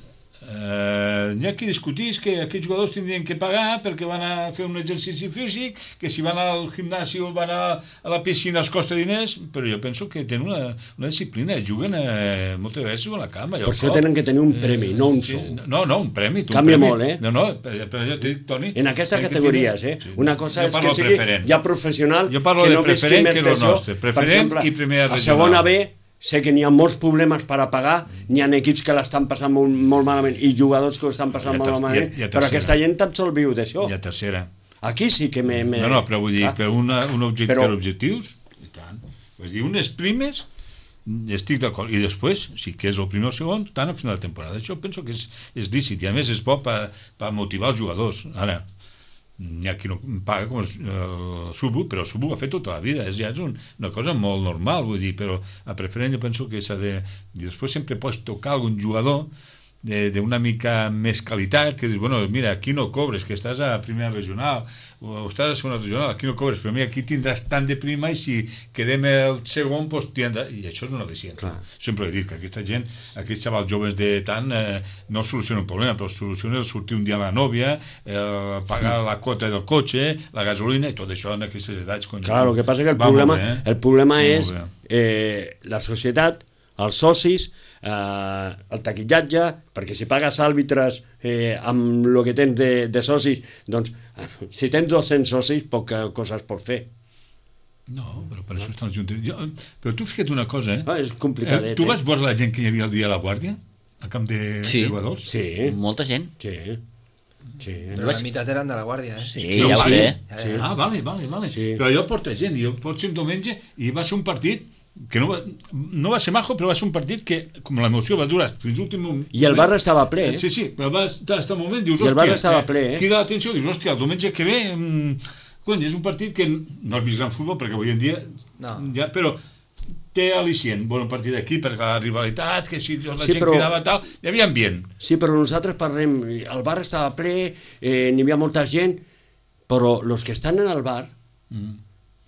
Uh, hi ha qui discutís que aquests jugadors tindrien que pagar perquè van a fer un exercici físic, que si van al gimnàs o van a, a la piscina els costa diners, però jo penso que tenen una, una disciplina, juguen uh, moltes vegades a la cama. Per això tenen que tenir un premi, uh, no un sou. Sí, no, no, un premi. Tu, canvia un premi. molt, eh? No, no, però jo t'he dit, Toni... En aquestes categories, eh? Sí. Una cosa jo és que sigui preferent. Ja professional... Jo parlo que de no preferent que el nostre. Preferent exemple, i primera regional. A segona B sé que n'hi ha molts problemes per a pagar, n'hi ha equips que l'estan passant molt, molt malament i jugadors que ho estan passant molt malament, i a, i a però aquesta gent tan sol viu d'això. I a tercera. Aquí sí que me... me... No, no, però vull dir, per, una, un objecte, però... per objectius, i tant. Vull dir, unes primes, estic d'acord. I després, si que és el primer o segon, tant al final de temporada. Això penso que és, és lícit i a més és bo per, per motivar els jugadors. Ara, Hi ha qui no paga com el, el Subu, però el Subu ho ha fet tota la vida, és, ja és un, una cosa molt normal, vull dir, però a preferent jo penso que s'ha de... I després sempre pots tocar algun jugador d'una mica més qualitat, que dius, bueno, mira, aquí no cobres, que estàs a primera regional, o estàs a segona regional, aquí no cobres, però mira, aquí tindràs tant de prima i si quedem el segon, doncs tindràs... I això és una al·licient. Sempre he dit que aquesta gent, aquests xavals joves de tant, eh, no soluciona un problema, però soluciona el sortir un dia a la nòvia, eh, pagar la quota del cotxe, la gasolina i tot això en aquestes edats. Clar, el que passa que el problema, bé, eh? el problema és eh, la societat, els socis, eh, el taquillatge, perquè si pagues àrbitres eh, amb el que tens de, de socis, doncs si tens dos-cents socis, poques coses pots fer. No, però per això estan els juntes. Jo, però tu fica't una cosa, eh? Ah, és complicadet. Eh, tu vas eh? veure la gent que hi havia el dia a la Guàrdia? Al camp de, sí. de jugadors? Sí. Molta gent. Sí. Sí. Però la meitat eren de la Guàrdia, eh? Sí, sí ja ho sé. Sí. Ah, vale, vale, vale. Sí. Però allò porta gent, i pot ser un diumenge, i va ser un partit que no va, no va ser majo, però va ser un partit que, com l'emoció va durar fins l'últim moment... I el bar estava ple, eh? Sí, sí, però va estar un moment, dius, I el bar hòstia, estava ple, eh? Crida l'atenció, dius, hòstia, el diumenge que ve... Mmm, cony, és un partit que no has vist gran futbol, perquè avui en dia... No. Ja, però té al·licient, bon partit d'aquí, perquè la rivalitat, que si la sí, gent però... cridava tal, hi havia ambient. Sí, però nosaltres parlem, el bar estava ple, eh, n'hi havia molta gent, però els que estan en el bar, mm.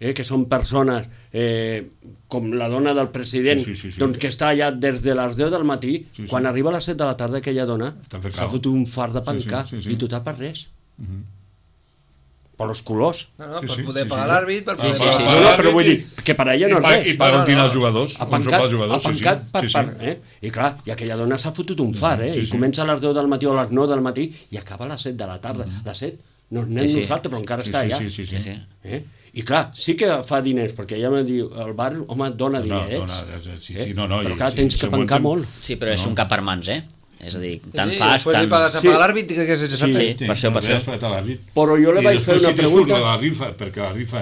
eh, que són persones eh, com la dona del president, sí, sí, sí, sí. doncs que està allà des de les deu del matí, sí, sí. quan arriba a les set de la tarda aquella dona, s'ha fotut un fart de pencar, sí, sí, sí, sí. i tu per res. Mm-hmm. Per els colors. No, no, per sí, sí, poder sí, pagar sí. l'àrbit, per poder sí, sí, pagar... sí, No, no, però vull dir que per ella no és res. I per on tenen els jugadors. Apancat, jugadors, apancat sí, sí. per Sí, sí. part. Eh? I clar, i aquella dona s'ha fotut un far, eh? Sí, I sí. comença a les deu del matí o a les nou del matí i acaba a les set de la tarda. A les set no anem Sí, sí. nosaltres, però encara Sí, està sí, allà. sí, sí, sí. Sí, sí. Eh? I clar, sí que fa diners, perquè ella me diu, el bar, home, dona No, dinerets. dona, sí, sí, no, no, però i- clar, sí, tens que segons pencar tem- molt. Sí, però és un cap per mans, eh? És a dir, tant sí, fas, després tant... li pagues a Sí. pagar l'àrbit, que és Sí, sí, per això, per això. Però jo li vaig fer una pregunta... I la rifa, perquè la rifa,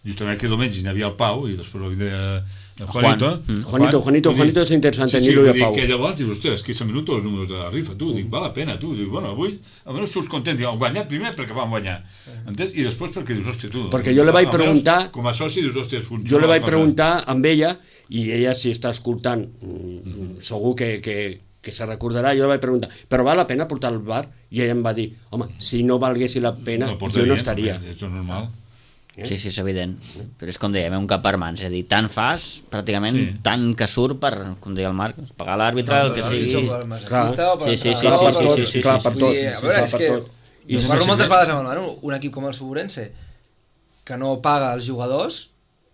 justament aquest diumenge hi havia el Pau, i després el de el Juanito. Juan. Mm. Juanito, Juanito, Vull dir, Juanito és interessant sí, sí, tenir-lo i a vull dir Pau. que llavors dius, ostres, quinze minuts els números de la rifa, tu, dic, val la pena, tu, dic, bueno, avui, almenys surts content, dic, heu guanyat primer perquè vam guanyar, entens? I després perquè dius, hòstia, tu... Perquè jo li vaig almenys, preguntar... Com a soci dius, hòstia, funciona. Jo li vaig la cosa. preguntar amb ella, i ella, si està escoltant, mm, segur que, que, que se recordarà, jo li vaig preguntar, però val la pena portar al bar? I ella em va dir, home, si no valguessi la pena, No jo portaria, no estaria. És normal. Sí, sí, és evident. Però és com dèiem, un cap per mans. És a dir, tant fas, pràcticament, Sí. tant que surt per, com deia el Marc, pagar l'àrbitre, el que sigui... Clar. Sí, sí, sí, Clar, sí, per sí, tot, sí, sí, clar, sí, per sí. tot. Vull dir, a veure, clar, és per que... tot. I I parlo sí, moltes sí. vegades amb el Manu, un equip com el Suburense, que no paga els jugadors,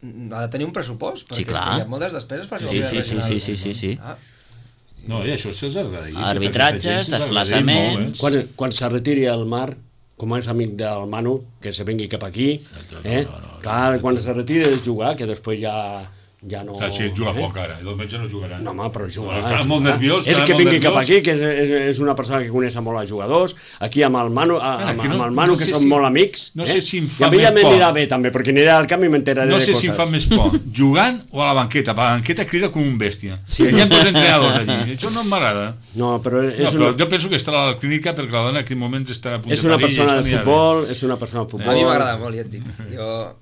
ha de tenir un pressupost, perquè Sí, clar. és que hi ha moltes despeses per Sí, jugar sí, sí, sí, sí, sí, sí. Ah, No, i això se'ls agradaria. Arbitratges, Aquesta gent se'ls agradaria desplaçaments. molt, eh? Quan, quan se retiri el Marc, com és amic del Manu, que se vengui cap aquí, eh? Clar, quan se retiri de jugar, que després ja, ja no... O sigui, si juga eh? poc ara, i el metge no jugarà. No, home, però jugarà. Estarà molt nerviós. És estarà que molt vingui cap nerviós. aquí, que és, és, és una persona que coneix molt els jugadors, aquí amb el Manu, a, Bueno, amb, aquí no- amb el Manu no que sé són si- molt amics. no eh? sé si em I fa a mi ja més por. m'anirà bé, també, perquè aniré al camp i m'enteraré No de sé coses. si em fa més por, jugant o a la banqueta. Per la banqueta crida com un bèstia. Sí. Hi ha dos entrenadors allí. Això no m'agrada. No, però és, No, però una, jo penso que estarà a la clínica perquè la dona en aquell moment estarà a punt és de una parir. i persona això de anirà bé. futbol, és una persona de a futbol. mi m'agrada molt, ja et dic. Jo,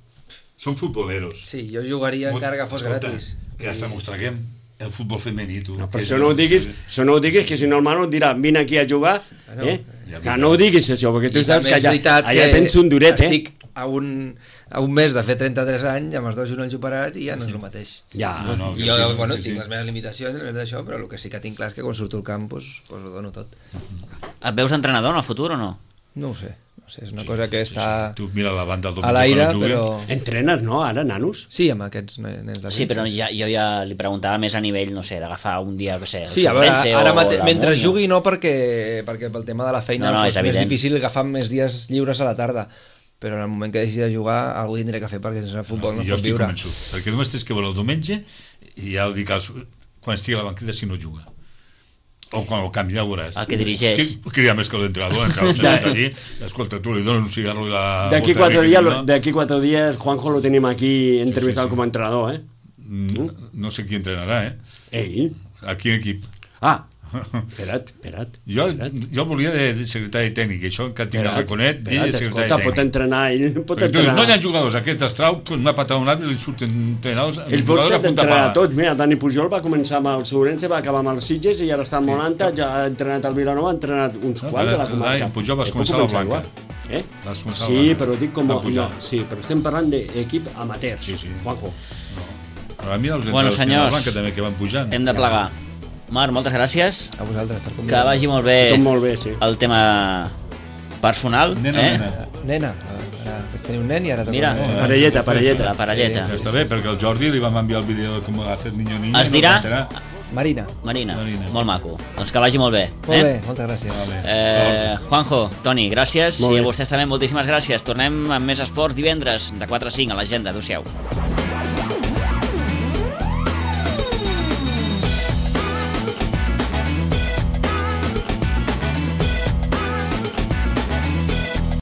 Són futboleros. sí, jo jugaria encara que fos Escolta, gratis. Que ja està mostraguem el futbol femení, tu. No, però Que això és- no ho diguis, això no ho diguis, que si no el Manu et dirà, vine aquí a jugar, no, eh? ja Que no ho diguis això, perquè tu I saps també que és allà, veritat allà que tens un duret, eh? estic a un, a un mes de fer trenta-tres anys, amb els dos genolls operats, i ja no és el mateix. Ja, No, no, I que jo, sí, bueno, sí, tinc sí. les meves limitacions, d'això, però el que sí que tinc clar és que quan surto al camp, doncs, doncs ho dono tot. Et veus entrenador en el futur o no? No ho sé, no sé, és una cosa que està Tu mira la banda del a l'aire, quan juguen. però... entrenes, no, ara, nanos? Sí, amb aquests nens de Sí, però Sitges. ja, jo ja li preguntava més a nivell, no sé, d'agafar un dia, què sé, el Sí, a veure, Solvense ara o mate... la mentre Múnia. jugui no, perquè, perquè pel tema de la feina No, no, doncs, és és més evident. difícil agafar més dies lliures a la tarda, però en el moment que deixi de jugar algú tindré que fer perquè sense futbol no, jo no pot estic viure. convençut, perquè només tens que veure el diumenge i ja el dic als, quan estigui a la banqueta si no juga o quan el canvi ja ho veuràs El que dirigeix. que cria més que l'entrenador encara el allí, escolta, tu li dones un cigarro i la D'aquí bota quatre, de días, no? d'aquí quatre días Juanjo lo tenim aquí entrevistat sí. com a entrenador, eh? Mm, no sé qui entrenarà, eh? Ell? a quin equip? Ah, Espera't, espera't. Jo, espera't. jo volia de, de secretari tècnic, i això encara tinc el raconet d'ell de secretari escolta, pot tècnic. entrenar, ell pot Perquè tu dius, entrenar. no hi ha jugadors, aquest estrau, una patada a un arbre, li surten entrenadors, Ell pot jugadors a punta entrenar pala. tots. Mira, Dani Pujol va començar amb el Sourense, va acabar amb els Sitges i ara està amb Molanta, ja ha entrenat al Vilanova, ha entrenat uns No, quants de la ara, comarca. Dani Pujol vas Eh, pot començar a la igual. Blanca. Eh? Vas començar a la Sí, Blanca. però dic com... Va pujar. No, sí, però estem parlant d'equip amateur. Sí, sí. Juanjo. Però a mi els Bueno, entrenadors de la senyors, Blanca també que van pujant. Hem de plegar. Marc, moltes gràcies. A vosaltres per Que convidar. vagi molt bé Tot molt bé, sí. el tema personal. Nena, eh? nena. Nena, ara vaig tenir un nen i ara toca Mira. un nen. Parelleta, parelleta. La parelleta. Ja està bé, perquè el Jordi li vam enviar el vídeo de com hacer niño niña. Es no dirà? cantarà. Marina. Marina, Marina. molt maco. Doncs que vagi molt bé. Molt eh? bé, moltes gràcies. Vale. Eh, Juanjo, Toni, gràcies. Molt I bé. a vostès també moltíssimes gràcies. Tornem amb més esports divendres de quatre a cinc a l'agenda. Adéu-siau.